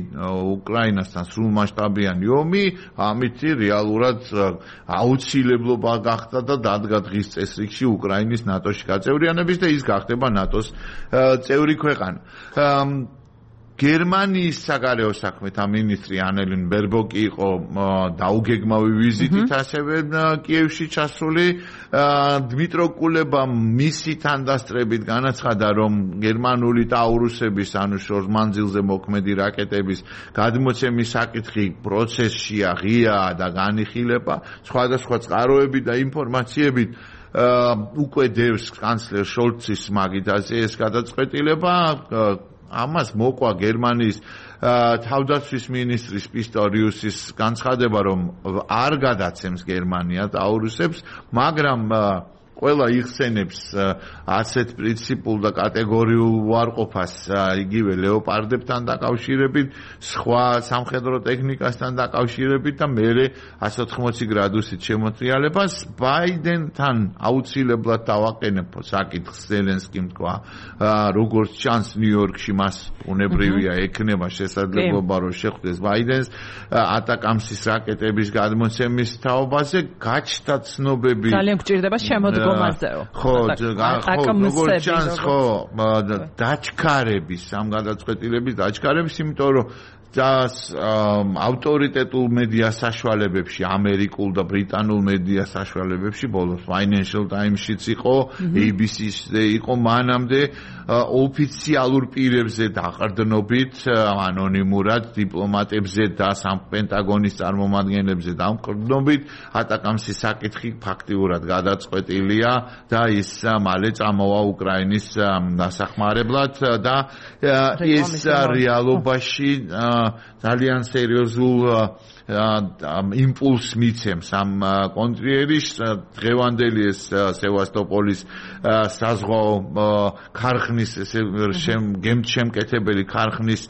უკრაინასთან სრულმასშტაბიანი ომი ამით რეალურად აუცილებლობა გახდა და დადგა დღის წესრიგში უკრაინის ნატოში გაწევრიანების და ის გახდება ნატოს წევრი ქვეყანა გერმანიის საგარეო საქმეთა მინისტრი ანელინ ბერბოკი იყო დაუგეგმავი ვიზიტით ასევე კიევში ჩასული დმიტრო კულებამ მისი თანდასწრებით განაცხადა რომ გერმანული ტაურუსების ანუ შორს მანძილზე მოქმედი რაკეტების გადმოცემის საკითხი პროცესშია ღიაა და განიხილება სხვადასხვა წყაროებით და ინფორმაციებით უკვე დევს კანცლერ შოლცის მაგიდაზე ეს გადაწყვეტილება ამას მოკვა გერმანიის თავდაცვის მინისტრის პისტორიუსის განცხადება რომ არ გადაცემს გერმანია ტაურუსებს მაგრამ ყველა იხსენებს ასეთ პრინციპულ და კატეგორიულ უარყოფას იგივე ლეოპარდებთან დაკავშირებით სხვა სამხედრო ტექნიკასთან დაკავშირებით და მერე εκατს ოთხმოცი გრადუსით შემოტრიალებას ბაიდენთან აუცილებლად დავაყენებ საკითხს ზელენსკიმ თქვა როგორც ჩანს ნიუ-იორკში მას უნებრივია ექნება შესაძლებლობა რომ შეხვდეს ბაიდენს ატაკამსის რაკეტების გადმოცემის თაობაზე გაჩნდა ცნობები ძალიან გჭირდება შემოდგომა ხო, როგორც ჩანს, ხო, დაჩქარების, ამ გადაწყვეტილების დაჩქარების, იმიტომ რომ და ავტორიტეტულ მედია საშუალებებში, ამერიკულ და ბრიტანულ მედია საშუალებებში, ბოლოს Financial Times-შიც იყო, A B C-ზე იყო, მანამდე ოფიციალურ პირებზე დაყრდნობით, ანონიმურად დიპლომატებზე და პენტაგონის წარმომადგენლებზე დამყრდნობით, ატაკამსის საკითხი ფაქტიურად გადაწყვეტილია და ის მალე წამოვა უკრაინის დასახმარებლად და ეს რეალობაში ძალიან სერიოზულ იმპულს მიცემს ამ კონტრიერის დღევანდელი ეს სევასტოპოლის საზღვაო ქარხნის გემთშემკეთებელი ქარხნის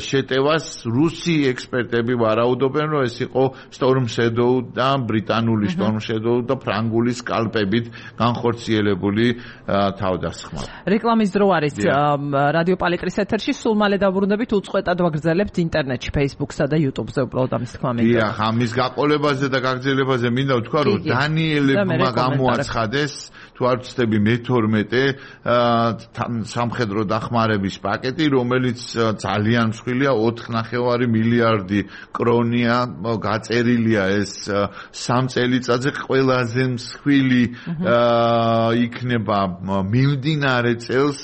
შეტევას რუსი ექსპერტები ვარაუდობენ რომ ეს იყო Storm Shadow და ბრიტანული Storm Shadow და ფრანგული სკალპებით განხორციელებული თავდასხმა. რეკლამის დრო არის რადიო პალიტრის ეთერში სულ მალე დავბრუნდებით უწყვეტად ვაგრძელებთ ინტერნეტში Facebook-სა და YouTube-ზე უბრალოდ ამის თქვა მინდა. დიახ, ამის გაყოლებაზე და გაგრძელებაზე მინდა ვთქვა რომ დანიელებმა გამოაცხადეს თუ არ ვცდები მეთორმეტე სამხედრო დახმარების პაკეტი, რომელიც ძალიან მსხვილია ოთხ ნახევარი მილიარდი კრონია, გაწერილია ეს სამ წელიწადზე ყველაზე მსხვილი იქნება მიმდინარე წელს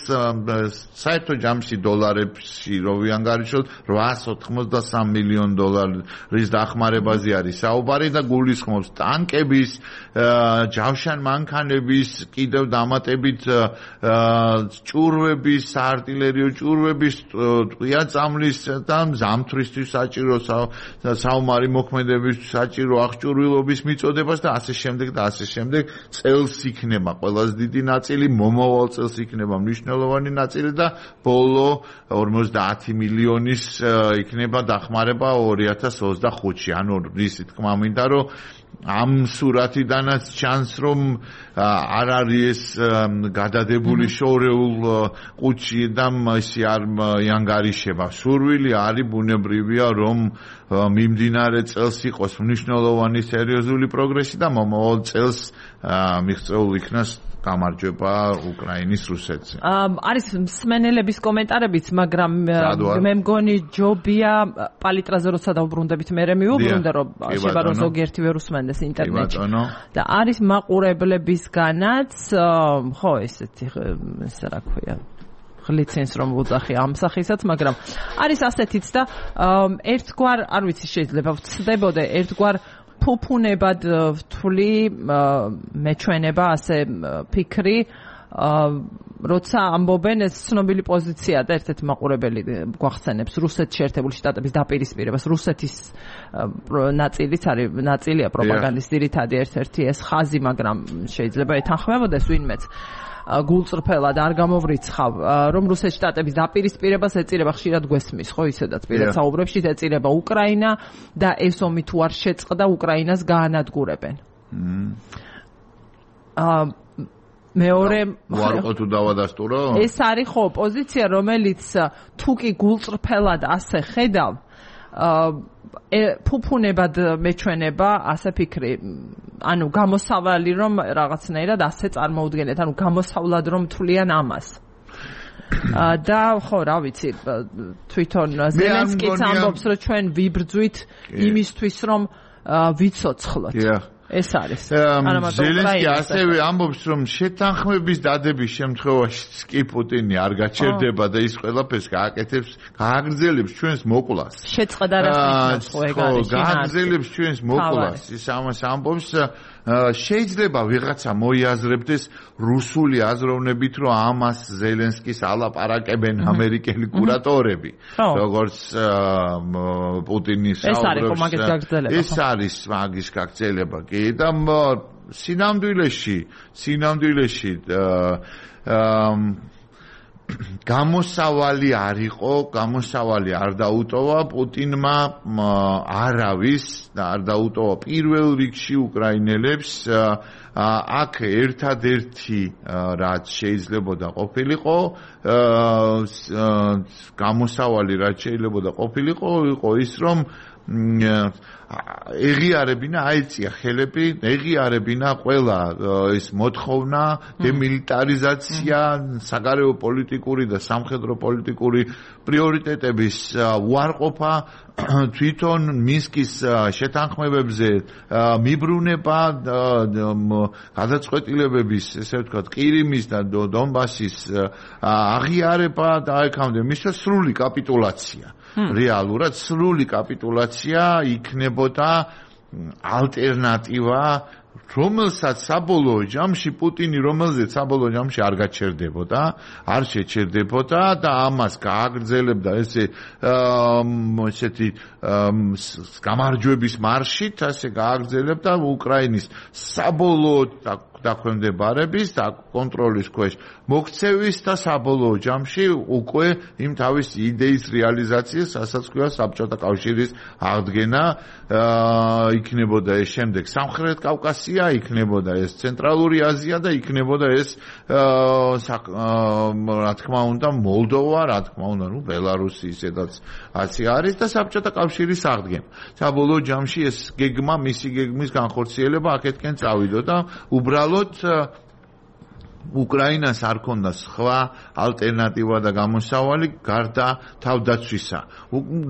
საერთო ჯამში დოლარებში რო ვიანგარიშოთ რვაას ოთხმოცდასამ მილიონ დოლარის დახმარებაზე არის საუბარი და გულისხმობს ტანკების, ჯავშან მანქანების, კიდევ დამატებით ჭურვების, საარტილერიო ჭურვების, ტყვია-წამლის და ზამთრისთვის საჭირო საომარი მოქმედებისთვის საჭირო აღჭურვილობის მიწოდებას და ასე შემდეგ და ასე შემდეგ წელს იქნება ყველაზე დიდი ნაწილი, მომავალ წელს იქნება მნიშვნელოვანი ნაწილი და ბოლო ორმოცდაათი მილიონის იქნება დახმარება ორი ათას ოცდახუთში. ანუ ისი თქმა მინდა რომ ამ სურათიდანაც ჩანს რომ არ არის ეს გადადებული შორეულ ყუთში და ისე არ იანგარიშება. სურვილი არის ბუნებრივია რომ მიმდინარე წელს იყოს მნიშვნელოვანი სერიოზული პროგრესი და მომავალ წელს მიღწეულ იქნას გამარჯვება უკრაინის რუსეთზე. არის მსმენელების კომენტარებიც, მაგრამ მე მგონი ჯობია პალიტრაზე როცა დავბრუნდებით მე მივუბრუნდე რომ შეიძლება რომ ზოგიერთი ვერ უსმენდეს ინტერნეტში. და არის მაყურებლებისგანაც ხო ესეთი ესე რა ქვია ხლიცენს რომ ვუძახი ამ სახისაც, მაგრამ არის ასეთიც და ერთგვარ არ ვიცი შეიძლება ვწდებოდე ერთგვარ ფუფუნებად ვთვლი მეჩვენება ასე ფიქრი როცა ამბობენ ეს ცნობილი პოზიცია და ერთ-ერთი მაყურებელი გვახსენებს რუსეთის შეერთებული შტატების დაპირისპირებას რუსეთის ნაწილიც არის ნაწილია პროპაგანდის ძირითადი ერთ-ერთი ეს ხაზი, მაგრამ შეიძლება ეთანხმებოდეს ვინმეც გულწრფელად არ გამოვრიცხავ, რომ რუსეთის შტატების დაპირისპირებას ეწირება ხშირად გვესმის, ხო, ისედაც პირად საუბრებში ეწირება უკრაინა და ეს ომი თუ არ შეწყდა, უკრაინას გაანადგურებენ. აა მეორე ვარყო თუ დავადასტურო? ეს არის ხო პოზიცია, რომელიც თუ კი გულწრფელად ასე ხედავ, ფუფუნებად მეჩვენება, ასე ფიქრი, ანუ გამოსავალი რომ რაღაცნაირად ასე წარმოუდგენეთ, ანუ გამოსავლად რომ თვლიან ამას. და ხო, რა ვიცი, თვითონ ზელენსკიც ამბობს, რომ ჩვენ ვიბრძვით იმისთვის, რომ ვიცოცხლოთ. ეს არის. ზელენსკი ასევე ამბობს, რომ შეთანხმების დადების შემთხვევაში კი პუტინი არ გაჩერდება და ის ყველაფერს გააკეთებს, გააგრძელებს ჩვენს მოკვლას. შეწყდა რა თქმა უნდა, გააგრძელებს ჩვენს მოკვლას. ის ამას ამბობს, შეიძლება ვიღაცა მოიაზრებდეს რუსული აზროვნებით, რომ ამას ზელენსკის ალაპარაკებენ ამერიკელი კურატორები, როგორც პუტინის საუბრობს. ეს არის მაგის გაგრძელება კი და სინამდვილეში, სინამდვილეში გამოსავალი არ იყო, გამოსავალი არ დაუტოვა პუტინმა არავის და არ დაუტოვა პირველ რიგში უკრაინელებს. აქ ერთადერთი რაც შეიძლებოდა ყოფილიყო, გამოსავალი რაც შეიძლებოდა ყოფილიყო, იყო ის რომ ეღიარებინა, აიწია ხელები, ეღიარებინა ყველა ეს მოთხოვნა, დემილიტარიზაცია, საგარეო პოლიტიკური და სამხედრო პოლიტიკური პრიორიტეტების უარყოფა, თვითონ მინსკის შეთანხმებებზე მიბრუნება, გადაწყვეტილებების, ესე ვთქვათ, ყირიმის და დონბასის აღიარება და აქამდე მისცა სრული კაპიტულაცია. რეალურად სრული კაპიტულაცია იქნებოდა ალტერნატივა, რომელსაც საბოლოო ჯამში პუტინი რომელზეც საბოლოო ჯამში არ გაჩერდებოდა, არ შეჩერდებოდა და ამას გააგრძელებდა ესე ესეთი გამარჯვების მარშით, ასე გააგრძელებდა უკრაინის საბოლოო დაქვემდებარების და კონტროლის ქვეშ მოქცევის და საბოლოო ჯამში უკვე იმ თავის იდეის რეალიზაციას, რასაც ქვია საბჭოთა კავშირის აღდგენა, იქნებოდა ეს შემდეგ სამხრეთ კავკასია, იქნებოდა ეს ცენტრალური აზია და იქნებოდა ეს რა თქმა უნდა მოლდოვა, რა თქმა უნდა, ნუ ბელარუსი ისედაც ასე არის და საბჭოთა კავშირის აღდგენა. საბოლოო ჯამში ეს გეგმა, მისი გეგმის განხორციელება აქეთკენ წავიდა და უბრალოდ უკრაინას არ ქონდა სხვა ალტერნატივა და გამოსავალი გარდა თავდაცვისა.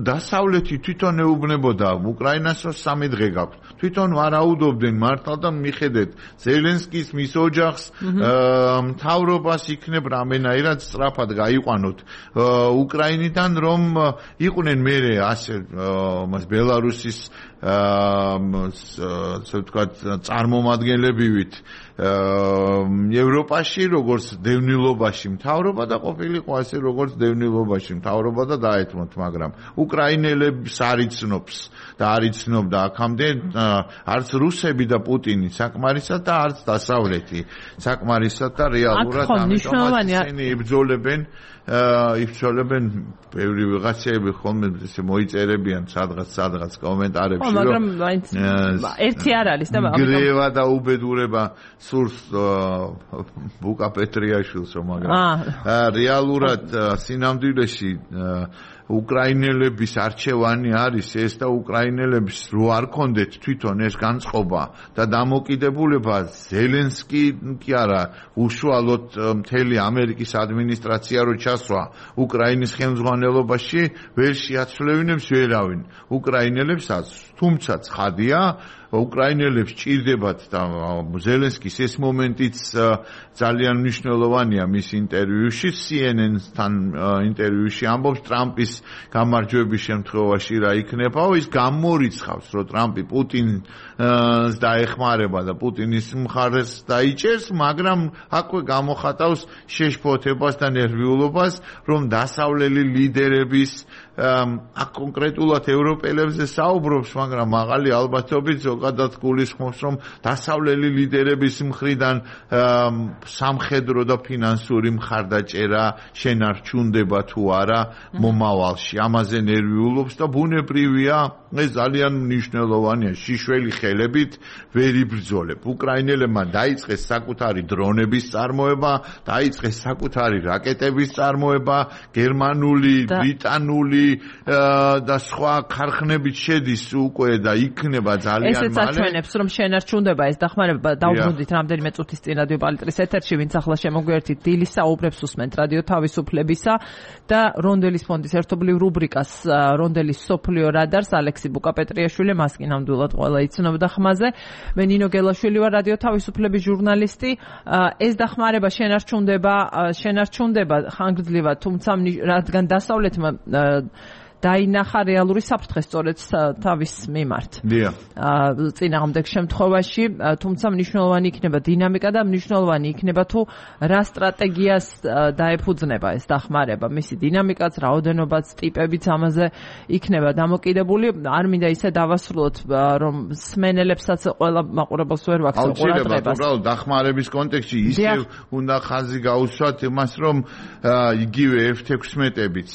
დასავლეთი თვითონ ეუბნებოდა უკრაინას, რომ სამი დღე გაქვთ. თვითონ ვარაუდობდნენ მართლა და მიხედეთ ზელენსკის მის ოჯახს, მთავრობას იქნებ რამენაირად სწრაფად გაიყვანოთ უკრაინიდან, რომ იყვნენ მერე ასე მას ბელარუსის ასე ვთქვათ წარმომადგენლებივით ევროპაში, როგორც დევნილობაში მთავრობა და ყოფილიყო ასე როგორც დევნილობაში მთავრობა და დაეთმოთ, მაგრამ უკრაინელებს არ იცნობს და არ იცნობდა აქამდე არც რუსები და პუტინი საკმარისად და არც დასავლეთი საკმარისად და რეალურად ამიტომ ისინი იბრძოლებენ იფცოლებენ ბევრი ვიღაცები ხოლმე ესე მოიწერებიან სადღაც სადღაც კომენტარებში, რომ მაგრამ ერთი არ არის და გრევა და უბედურება სურს ბუკა პეტრიაშვილს, რომ მაგრამ რეალურად სინამდვილეში უკრაინელების არჩევანი არის ეს და უკრაინელებს რო არ კონდეთ თვითონ ეს განწყობა და დამოკიდებულება ზელენსკი კი არა უშუალოდ მთელი ამერიკის ადმინისტრაცია რო ჩასვა უკრაინის ხელმძღვანელობაში ვერ შეაცვლევინებს ვერავინ უკრაინელებსაც, თუმცა ცხადია უკრაინელებს ჭირდებათ და ზელენსკის ეს მომენტიც ძალიან მნიშვნელოვანია მის ინტერვიუში, C N N-თან ინტერვიუში ამბობს ტრამპის გამარჯვების შემთხვევაში რა იქნება, ის გამორიცხავს, რომ ტრამპი პუტინს დაეხმარება და პუტინის მხარეს დაიჭერს, მაგრამ აქვე გამოხატავს შეშფოთებას და ნერვიულობას, რომ დასავლელი ლიდერების აქ კონკრეტულად ევროპელებზე საუბრობს, მაგრამ მაღალი ალბათობით ზოგადად გულისხმობს, რომ დასავლელი ლიდერების მხრიდან სამხედრო და ფინანსური მხარდაჭერა შენარჩუნდება თუ არა მომავალში. ამაზე ნერვიულობს და ბუნებრივია, ეს ძალიან მნიშვნელოვანია. შიშველი ხელებით ვერ იბრძოლებ. უკრაინელებმა დაიწყეს საკუთარი დრონების წარმოება, დაიწყეს საკუთარი რაკეტების წარმოება, გერმანული, ბრიტანული და სხვა ქარხნებით შედის უკვე და იქნება ძალიან მალე. ესეც აჩვენებს, რომ შენარჩუნდება ეს დახმარება. დავბრუნდით რამდენიმე წუთის წინ რადიო პალიტრის ეთერში, ვინც ახლა შემოგვიერთით, დილის საუბრებს უსმენთ რადიო თავისუფლებისა და რონდელის ფონდის ერთობლივ რუბრიკას რონდელის სოფლიო რადარს ალექსი ბუკაპეტრიაშვილი, მას კი ნამდვილად ყველა იცნობდა ხმაზე. მე ნინო გელაშვილი ვარ, რადიო თავისუფლების ჟურნალისტი. ეს დახმარება შენარჩუნდება, შენარჩუნდება ხანგრძლივად, თუმცა რადგან დასავლეთმა დაინახა რეალური საფრთხე სწორედ თავის მიმართ. დიახ. წინააღმდეგ შემთხვევაში, თუმცა მნიშვნელოვანი იქნება დინამიკა და მნიშვნელოვანი იქნება თუ რა სტრატეგიას დაეფუძნება ეს დახმარება. მისი დინამიკაც, რაოდენობაც, ტიპებიც ამაზე იქნება დამოკიდებული. არ მინდა ისე დავასრულოთ, რომ სმენელებსაც ყველა მაყურებელს ვერ ვაქცევ ყურადღებას. უბრალოდ დახმარების კონტექსტში ისევ უნდა ხაზი გაუსვათ იმას, რომ იგივე ეფ ექვსმეტებიც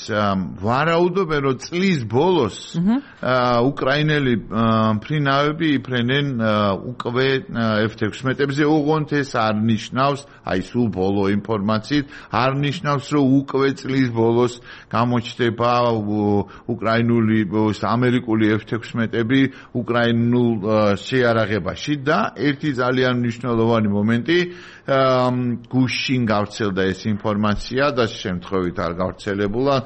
ვარაუდობენ, რომ წლის ბოლოს უკრაინელი ფრინავები იფრენენ უკვე ეფ ექვსმეტებზე, ოღონდ ეს არ ნიშნავს, აი სულ ბოლო ინფორმაციით, არ ნიშნავს, რომ უკვე წლის ბოლოს გამოჩნდება უკრაინული, ამერიკული ეფ ექვსმეტები უკრაინულ შეიარაღებაში და ერთი ძალიან მნიშვნელოვანი მომენტი, გუშინ გავრცელდა ეს ინფორმაცია და შემთხვევით არ გავრცელებულა,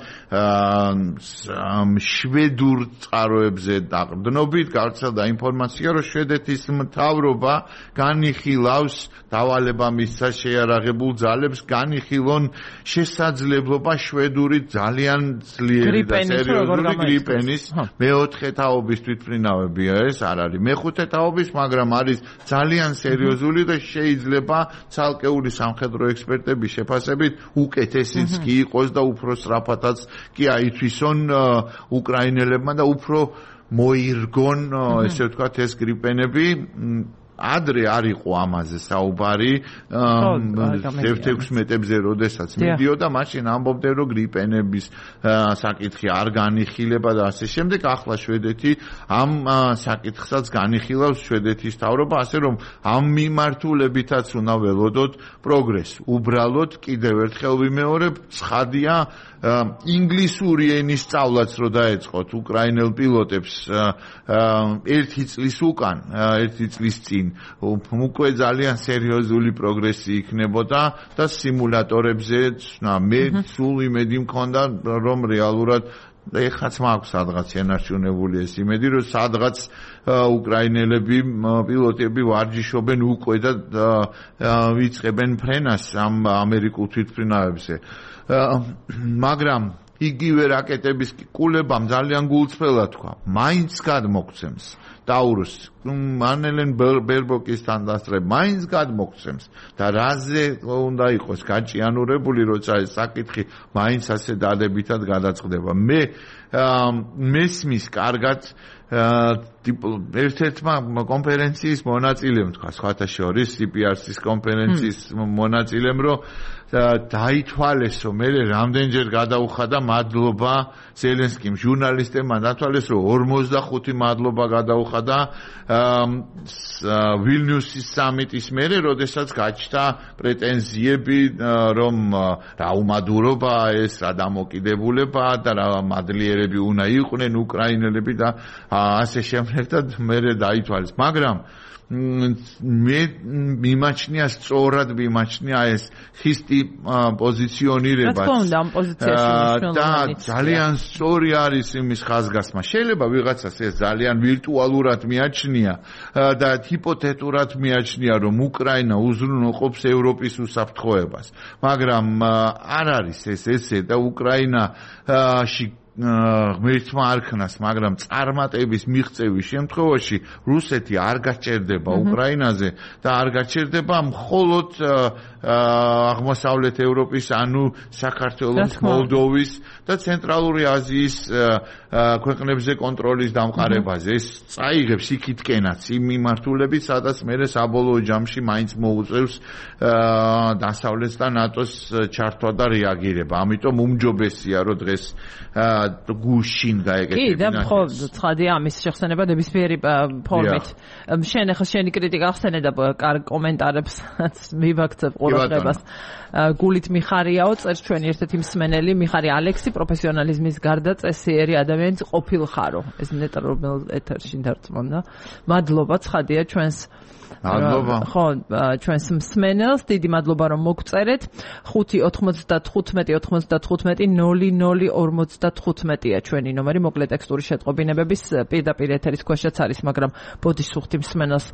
შვედურ წყაროებზე დაყრდნობით გავრცელდა ინფორმაცია, რომ შვედეთის მთავრობა განიხილავს დავალება მისცა შეიარაღებულ ძალებს, განიხილონ შესაძლებლობა შვედური ძალიან ძლიერი და სერიოზული გრიპენის მეოთხე თაობის თვითმფრინავებია ეს არ არის მეხუთე თაობის, მაგრამ არის ძალიან სერიოზული და შეიძლება ცალკეული სამხედრო ექსპერტების შეფასებით უკეთესიც კი იყოს და უფრო სწრაფადაც კი აითვისონ უკრაინელებმა და უფრო მოირგონ, ესე ვთქვათ, ეს გრიპენები. ადრე არ იყო ამაზე საუბარი ეფ ექვსმეტებზე, როდესაც მიდიოდა, მაშინ ამბობდნენ, რომ გრიპენების საკითხი არ განიხილება და ასე შემდეგ. ახლა შვედეთი ამ საკითხსაც განიხილავს შვედეთის მთავრობა, ასე რომ ამ მიმართულებითაც უნდა ველოდოთ პროგრესი. უბრალოდ კიდევ ერთხელ ვიმეორებ, ცხადია, ინგლისური ენის სწავლაც რო დაეწყოთ უკრაინელ პილოტებს ერთი წლის უკან, ერთი წლის წინ უკვე ძალიან სერიოზული პროგრესი იქნებოდა და სიმულატორებზე მე სულ იმედი მქონდა, რომ რეალურად ეხაც მაქვს სადღაც შენარჩუნებული ეს იმედი, რომ სადღაც უკრაინელები, პილოტები ვარჯიშობენ უკვე და ვიწყებენ ფრენას ამ ამერიკულ თვითმფრინავებზე. მაგრამ იგივე რაკეტების კულებამ ძალიან გულწრფელად თქვა, მაინც გადმოგცემს ტაურუს, მანელენ ბერბოკის თანდასწრებ, მაინც გადმოგცემს და რაზე უნდა იყოს გაჭიანურებული, როცა ეს საკითხი მაინც ასე დადებითად გადაწყდება. მე მესმის კარგად ერთ-ერთმა კონფერენციის მონაწილემ თქვა, სხვათა შორის სი პი არ სის კონფერენციის მონაწილემ, რომ დაითვალესო, მე რამდენჯერ გადაუხადა მადლობა ზელენსკიმ, ჟურნალისტებმა დათვალეს, რომ ორმოცდახუთი მადლობა გადაუხადა ვილნიუსის სამიტის მერე, როდესაც გაჩნდა პრეტენზიები, რომ რა უმადურობაა ეს, რა დამოკიდებულება და რა მადლიერები უნდა იყვნენ უკრაინელები და ასე შემდეგ და მერე დაითვალეს. მაგრამ მე მიმაჩნია, სწორად მიმაჩნია ეს ხისტი პოზიციონირება. რა თქმა უნდა, ამ პოზიციაში მნიშვნელოვანია. და ძალიან სწორი არის იმის ხაზგასმა. შეიძლება ვიღაცას ეს ძალიან ვირტუალურად მიაჩნია და ჰიპოთეტურად მიაჩნია, რომ უკრაინა უზრუნველყოფს ევროპის უსაფრთხოებას. მაგრამ არ არის ეს ესე და უკრაინაში ღმერთმა არქნას, მაგრამ წარმატების მიღწევის შემთხვევაში რუსეთი არ გაჭერდება უკრაინაზე და არ გაჭერდება მხოლოდ აღმოსავლეთ ევროპის, ანუ საქართველოს, მოლდოვის და ცენტრალური აზიის ქვეყნებზე კონტროლის დამყარებაზე. ეს წაიღებს იქითკენაც იმ მიმართულებით, სადაც მერე საბოლოო ჯამში მაინც მოუწევს დასავლეთს და ნატოს ჩართვა და რეაგირება. ამიტომ უმჯობესია, რომ დღეს გუშინ გაეკეთებინა. კი, და ხო, ცხადია ამის შეხსენება ნებისმიერი ფორმით. შენ ახლა შენი კრიტიკა ახსენე და კარგ კომენტარებს მივაქცევ ყურადღებას. გულით მიხარიაო, წერს ჩვენი ერთ-ერთი მსმენელი, მიხარი ალექსი, პროფესიონალიზმის გარდა წესიერი ადამიანის ყოფილხარო. ეს ნეტა რომელ ეთერში დარწმუნდა. მადლობა, ცხადია ჩვენს მადლობა. ხო, ჩვენს მსმენელს დიდი მადლობა რომ მოგწერეთ. ხუთი ოთხმოცდათხუთმეტი ოცდათხუთმეტი ნული ნული ორმოცდათხუთმეტია ჩვენი ნომერი, მოკლე ტექსტური შეტყობინებების პირდაპირ ეთერის ქვეშაც არის, მაგრამ ბოდიშ სუხთი მსმენელს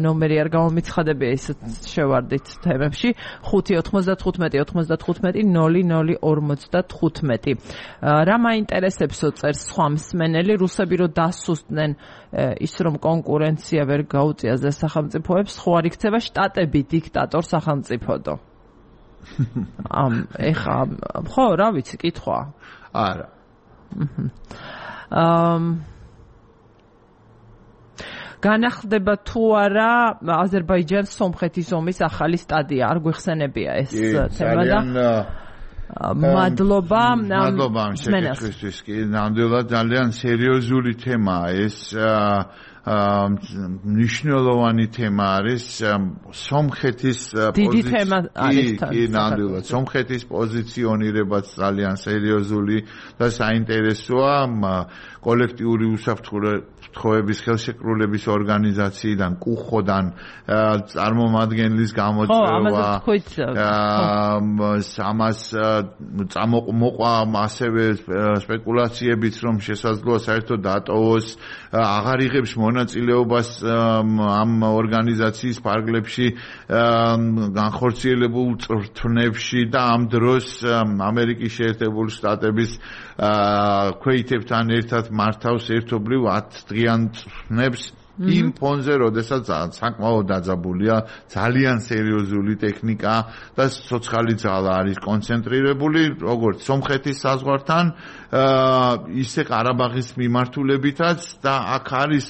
ნომერი არ გამომიცხადებია, ისე შევარდით თემებში. ხუთი ოთხმოცდათხუთმეტი ოცდათხუთმეტი ნული ნული ორმოცდათხუთმეტი. რა მაინტერესებსო, წერს სხვა მსმენელი, რუსები რო დასუსტნენ ის რომ კონკურენცია ვერ გაუწია ზე სახელმწიფოებს, ხო არ იქცევა შტატები დიქტატორ სახელმწიფოდო. ამ ეხა ხო რა ვიცი, კითხვა. არა. ამ განახდება თუ არა აზერბაიჯანს სომხეთის ომის ახალი სტადია, არ გვეხსენებია ეს თემა და მადლობა მადლობა შეკითხვისთვის. კი, ნამდვილად ძალიან სერიოზული თემაა ეს. მნიშვნელოვანი თემა არის სომხეთის დიდი თემა არის კი ნამდვილად სომხეთის პოზიციონირებაც ძალიან სერიოზული და საინტერესოა კოლექტიური უსაფრთხოების ხელშეკრულების ორგანიზაციიდან კუხოდან წარმომადგენლის გამოწვევა ამას წამოყვა ასევე სპეკულაციებიც რომ შესაძლოა საერთოდ დატოვოს აღარ იღებს მონაწილეობას ამ ორგანიზაციის ფარგლებში განხორციელებულ წვრთნებში და ამ დროს ამერიკის შეერთებული შტატების ქვეითებთან ერთად მართავს ერთობლივ ათ დღიან წვრთნებს იმ ფონზე, როდესაც საკმაოდ დაძაბულია ძალიან სერიოზული ტექნიკა და ცოცხალი ძალა არის კონცენტრირებული, როგორც სომხეთის საზღვართან, ისე ყარაბაღის მიმართულებითაც და აქ არის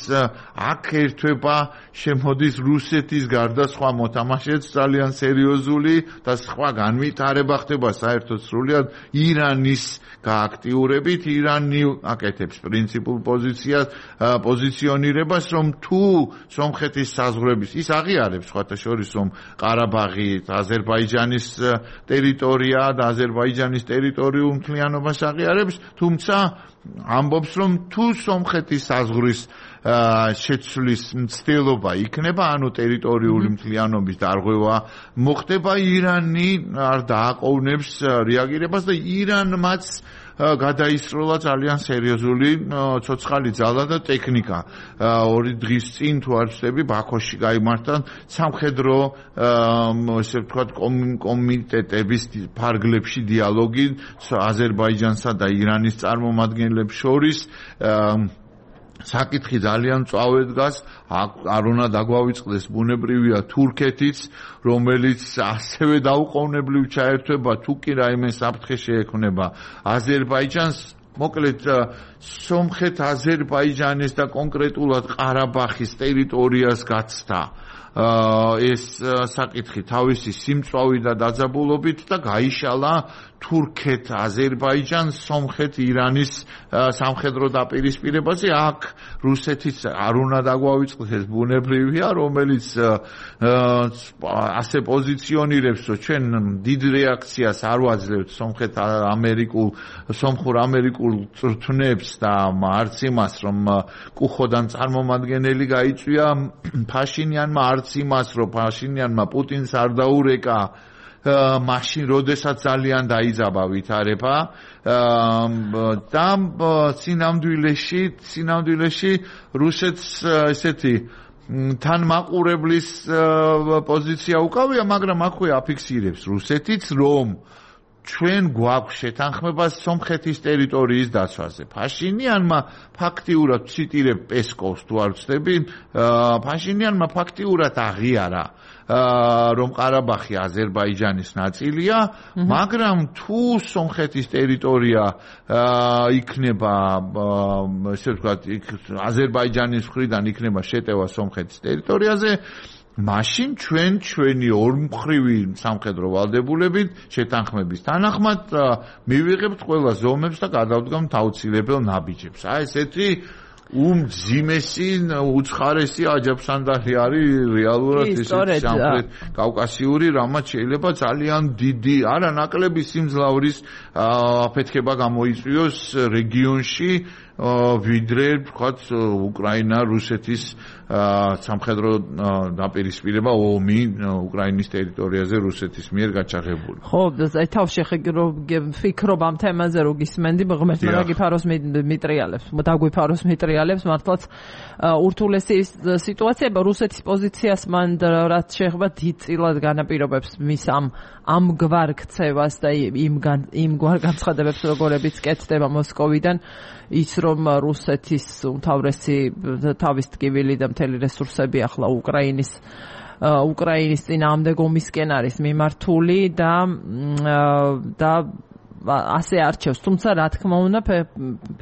აქ ერთვება შემოდის რუსეთის გარდა სხვა მოთამაშეც ძალიან სერიოზული და სხვა განვითარება ხდება საერთოდ სრულად ირანის გააქტიურებით. ირანი აკეთებს პრინციპულ პოზიციას, პოზიციონირებას, რომ თუ სომხეთის საზღვრების ის აღიარებს სხვათა შორის რომ ყარაბაღი აზერბაიჯანის ტერიტორია და აზერბაიჯანის ტერიტორიულ მთლიანობას აღიარებს, თუმცა ამბობს რომ თუ სომხეთის საზღვრის შეცვლის მცდელობა იქნება, ანუ ტერიტორიული მთლიანობის დარღვევა მოხდება, ირანი არ დააყოვნებს რეაგირებას და ირანმაც გადაისროლა ძალიან სერიოზული ცოცხალი ძალა და ტექნიკა. ორი დღის წინ თუ არ ვცდები, ბაქოში გაიმართა სამხედრო ესე ვთქვათ კომიტეტების ფარგლებში დიალოგი აზერბაიჯანსა და ირანის წარმომადგენლებს შორის. საკითხი ძალიან მწვავედ დგას, არ უნდა დაგვავიწყდეს ბუნებრივია თურქეთიც, რომელიც ასევე დაუყოვნებლივ ჩაერთვება, თუ კი რაიმე საფრთხე შეექმნება აზერბაიჯანს. მოკლედ სომხეთ აზერბაიჯანის და კონკრეტულად ყარაბაღის ტერიტორიას გაცდა ეს საკითხი თავისი სიმწვავი და დაძაბულობით და გაიშალა თურქეთ, აზერბაიჯანს, სომხეთ, ირანის სამხედრო დაპირისპირებაზე. აქ რუსეთიც არ უნდა დაგვავიწყდეს, ეს ბუნებრივია, რომელიც ასე პოზიციონირებს, რომ ჩვენ დიდ რეაქციას არ ვაძლევთ სომხეთ ამერიკულ, სომხურ ამერიკულ წვრთნებს და არც იმას, რომ კუხოდან წარმომადგენელი გაიწვია ფაშინიანმა, არც იმას, რომ ფაშინიანმა პუტინს არ დაურეკა მაშინ როდესაც ძალიან დაიძაბა ვითარება და სინამდვილეში სინამდვილეში რუსეთს ესეთი თან მაყურებლის პოზიცია უკავია, მაგრამ აქვე აფიქსირებს რუსეთიც, რომ ჩვენ გვაქვს შეთანხმება სომხეთის ტერიტორიის დაცვაზე. ფაშინიანმა ფაქტიურად ციტირებ პესკოვს თუ არ ვცდები, ფაშინიანმა ფაქტიურად აღიარა რომ ყარაბაღი აზერბაიჯანის ნაწილია, მაგრამ თუ სომხეთის ტერიტორია იქნება, ესე ვთქვათ, აზერბაიჯანის მხრიდან იქნება შეტევა სომხეთის ტერიტორიაზე, მაშინ ჩვენ ჩვენი ორმხრივი სამხედრო ვალდებულებით შეთანხმების თანახმად მივიღებთ ყველა ზომებს და გადავდგამთ აუცილებელ ნაბიჯებს. აი ესეთი უმძიმესი უცხარესი აჯაფსანდარი არის რეალურად ესეთი სამხრეთ კავკასიური, რამაც შეიძლება ძალიან დიდი, არა ნაკლები სიმძლავრის აფეთქება გამოიწვიოს რეგიონში, ვიდრე ვთქვათ უკრაინა რუსეთის სამხედრო დაპირისპირება ომი უკრაინის ტერიტორიაზე რუსეთის მიერ გაჩაღებული. ხო, აი თავში ფიქრობ ამ თემაზე რო გისმენდი, ღმერთმა რა გიფაროს მიტრიალებს, დაგვიფაროს მიტრიალებს, მართლაც ურთულესი სიტუაცია, რუსეთის პოზიციას მან რაც შეეხება დიდწილად განაპირობებს მის ამ ამგვარ ქცევას და იმ იმგვარ განცხადებებს, როგორებიც კეთდება მოსკოვიდან, ის რომ რუსეთის უმთავრესი თავის ტკივილი და მთელი რესურსები ახლა უკრაინის უკრაინის წინააღმდეგ ომისკენ არის მიმართული და და ასე არჩევს, თუმცა რა თქმა უნდა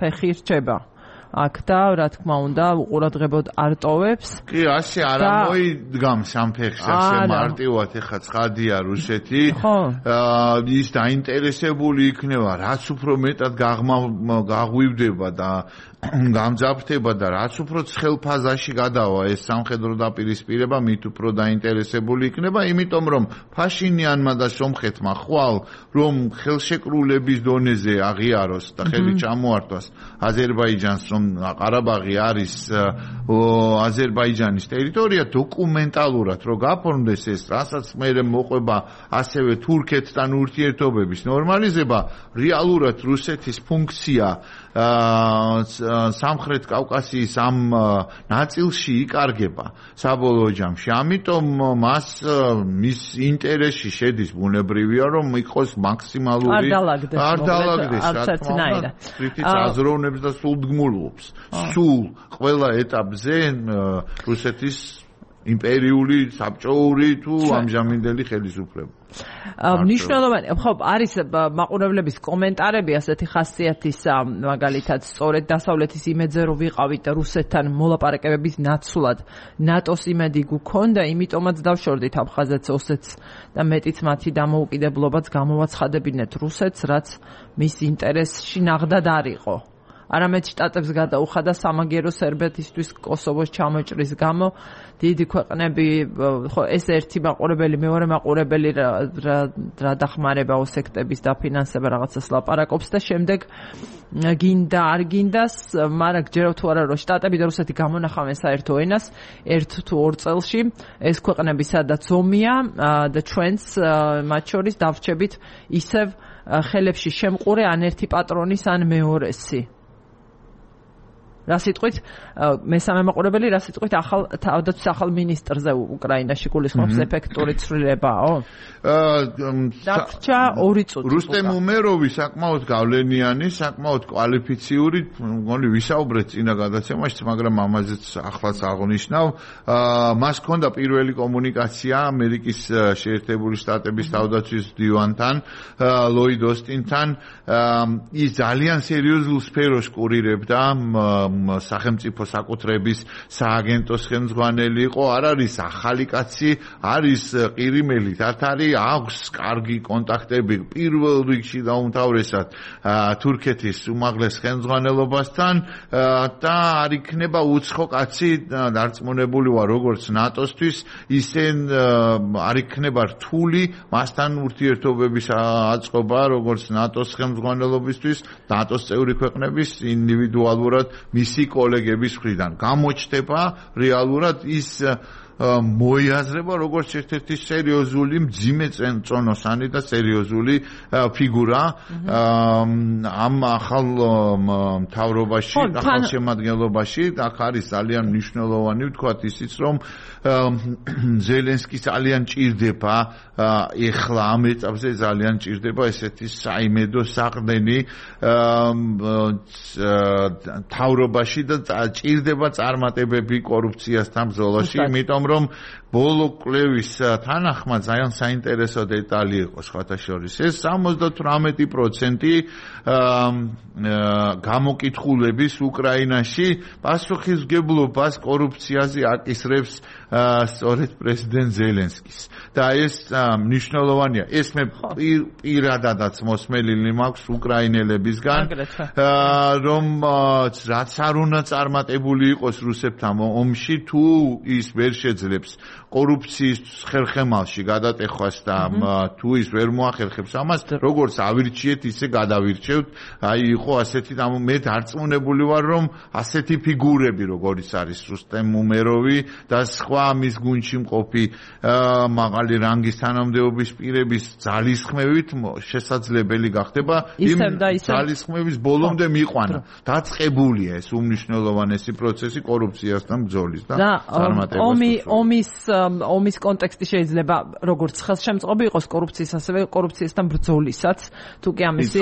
ფეხი რჩება აქ და რა თქმა უნდა უყურადღებოდ არ ტოვებს. კი, ასე არ მოიდგამს ამ ფეხს, ასე მარტივად ეხა ცხადია რუსეთი. ის დაინტერესებული იქნება, რაც უფრო მეტად გაღვივდება და გამძაფრდება და რაც უფრო ცხელ ფაზაში გადავა ეს სამხედრო დაპირისპირება, მით უფრო დაინტერესებული იქნება, იმიტომ რომ ფაშინიანმა და სომხეთმა ხვალ რომ ხელშეკრულების დონეზე აღიაროს და ხელი ჩამოართვას აზერბაიჯანს, რომ ყარაბაღი არის აზერბაიჯანის ტერიტორია, დოკუმენტალურად რო გაფორმდეს ეს, რასაც მერე მოყვება ასევე თურქეთთან ურთიერთობების ნორმალიზება, რეალურად რუსეთის ფუნქცია სამხრეთ კავკასიის ამ ნაწილში იკარგება საბოლოო ჯამში. ამიტომ მას მის ინტერესში შედის ბუნებრივია, რომ იყოს მაქსიმალური არ დალაგდეს, რა თქმა უნდა, თვითონ აზროვნებს და სულდგმულობს. სულ ყველა ეტაპზე რუსეთის იმპერიული, საბჭოური თუ ამჟამინდელი ხელისუფლება. მნიშვნელოვანი, ხო, არის მაყურებლების კომენტარები ასეთი ხასიათის, მაგალითად, სწორედ დასავლეთის იმედზე რომ ვიყავით რუსეთთან მოლაპარაკებების ნაცვლად, ნატოს იმედი გქონდა, იმიტომაც დავშორდით აფხაზეთს, ოსეთს და მეტიც მათი დამოუკიდებლობაც გამოვაცხადებინეთ რუსეთს, რაც მის ინტერესში ნაღდად არ იყო. არამედ შტატებს გადაუხადა სამაგერო სერბეთისთვის კოსოვოს ჩამოჭრის გამო. დიდი ქვეყნები, ხო, ეს ერთი მაყურებელი, მეორე მაყურებელი რა დახმარება ოსექტების დაფინანსება რაღაცას ლაპარაკობს და შემდეგ გინდა არ გინდას, მაგრამ გჯერავთ თუ არა რომ შტატები და რუსეთი გამონახავენ საერთო ენას ერთ თუ ორ წელში, ეს ქვეყნები სადაც ომია და ჩვენც მათ შორის დავრჩებით ისევ ხელებში შემყურე ან ერთი პატრონის ან მეორესი. რა სიტყვით მესამე მაყურებელი რა სიტყვით ახალ თავდაცვის ახალ მინისტრზე უკრაინაში გულისხმობს ეფექტური ცვლილებაო? დარჩა ორი წუთი. რუსტემ უმეროვი საკმაოდ გავლენიანი, საკმაოდ კვალიფიციური, მგონი ვისაუბრეთ წინა გადაცემაში, მაგრამ ამაზეც ახლაც აღნიშნავ. მას ჰქონდა პირველი კომუნიკაცია ამერიკის შეერთებული შტატების თავდაცვის მდივანთან, ლოიდ ოსტინთან. ის ძალიან სერიოზულ სფეროს კურირებდა სახელმწიფო საკუთრების სააგენტოს ხელმძღვანელი იყო, არ არის ახალი კაცი, არის ყირიმელი თათარი, აქვს კარგი კონტაქტები პირველ რიგში და უმთავრესად თურქეთის უმაღლეს ხელმძღვანელობასთან და არ იქნება უცხო კაცი დარწმუნებული ვარ როგორც ნატოსთვის, ისე არ იქნება რთული მასთან ურთიერთობების აწყობა როგორც ნატოს ხელმძღვანელობისთვის, ნატოს წევრი ქვეყნების ინდივიდუალურად მისი კოლეგების მხრიდან. გამოჩნდება რეალურად ის მოიაზრება როგორც ერთ-ერთი სერიოზული მძიმე წონოსანი და სერიოზული ფიგურა ამ ახალ მთავრობაში, ახალ შემადგენლობაში. აქ არის ძალიან მნიშვნელოვანი ვთქვათ ისიც, რომ ზელენსკი ძალიან ჭირდება ეხლა ამ ეტაპზე ძალიან ჭირდება ესეთი საიმედო საყრდენი მთავრობაში და ჭირდება წარმატებები კორუფციასთან ბრძოლაში, იმიტომ რომ ბოლო კვლევის თანახმად ძალიან საინტერესო დეტალი იყო სხვათა შორის ეს სამოცდათვრამეტი პროცენტი გამოკითხულების უკრაინაში პასუხისმგებლობას კორუფციაზე აკისრებს სწორედ პრეზიდენტ ზელენსკის და ეს მნიშვნელოვანია ეს მე პირადადაც მოსმენილი მაქვს უკრაინელებისგან რომ რაც არ უნდა წარმატებული იყოს რუსებთან ომში თუ ის ვერ შეძლებს კორუფციის ხერხემალში გადატეხვას და თუ ის ვერ მოახერხებს ამას როგორც ავირჩიეთ ისე გადავირჩევთ აი იყო ასეთი მე დარწმუნებული ვარ რომ ასეთი ფიგურები როგორიც არის რუსტემ უმეროვი და სხვა მის გუნდში მყოფი მაღალი რანგის თანამდებობის პირების ძალისხმევით შესაძლებელი გახდება იმ ძალისხმევის ბოლომდე მიყვანა დაწყებულია ეს უმნიშვნელოვანესი პროცესი კორუფციასთან ბრძოლის და წარმატებას ომი ომის ომის კონტექსტი შეიძლება როგორც ხელშემწყობი იყოს კორუფციის ასევე კორუფციასთან ბრძოლისაც თუ კი ამისი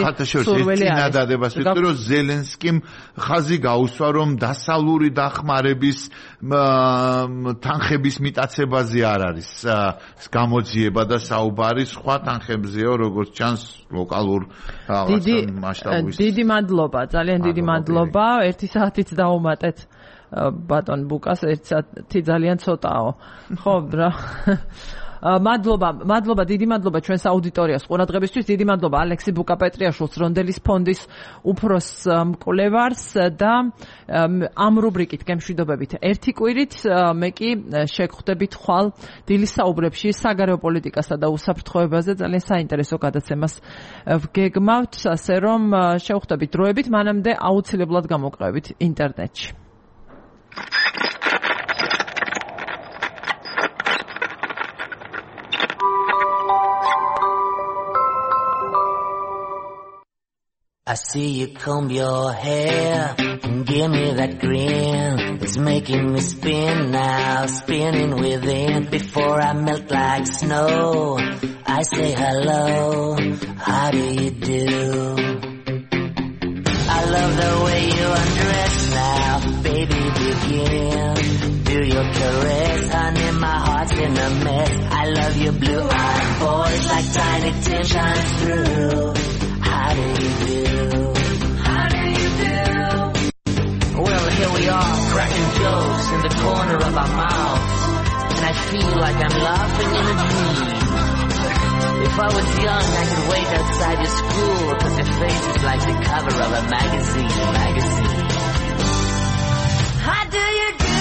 სურვილი არის წინადადებას ვიტყვი რომ ზელენსკიმ ხაზი გაუსვა რომ დასავლური დახმარების თანხების მიტაცებაზე არ არის გამოძიება და საუბარი სხვა თანხებზეო როგორც ჩანს ლოკალურ მასშტაბის დიდი მადლობა ძალიან დიდი მადლობა ერთი საათით დავუმატეთ ბატონ ბუკას ერთი საათი ძალიან ცოტაო ხო რა მადლობა მადლობა დიდი მადლობა ჩვენს აუდიტორიას ყურადღებისთვის დიდი მადლობა ალექსი ბუკა-პეტრიაშვილს რონდელის ფონდის უფროს მკვლევარს და ამ რუბრიკით გემშვიდობებით ერთი კვირით მე კი შეგხვდებით ხვალ დილის საუბრებში საგარეო პოლიტიკასა და უსაფრთხოებაზე ძალიან საინტერესო გადაცემას ვგეგმავთ ასე რომ შევხვდებით დროებით მანამდე აუცილებლად გამოგყევით ინტერნეტში I see you comb your hair and give me that grin. It's making me spin now, spinning within. Before I melt like snow, I say hello, how do you do? I love the way you undress now, baby begin. Do your caress, honey, my heart's in a mess. I love your blue-eyed voice like tiny tin shines through. How do you do? How do you do? Well, here we are, cracking jokes in the corner of our mouths. And I feel like I'm laughing in a dream. If I was young, I could wait outside your school, cause your face is like the cover of a magazine, magazine. How do you do?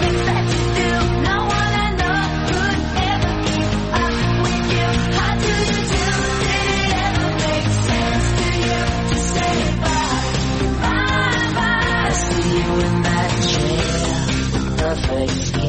Things that you do, no one I know could ever keep up with you. How do you do? Did it ever make sense to you to say bye, bye, bye? I see you in that chair, perfect.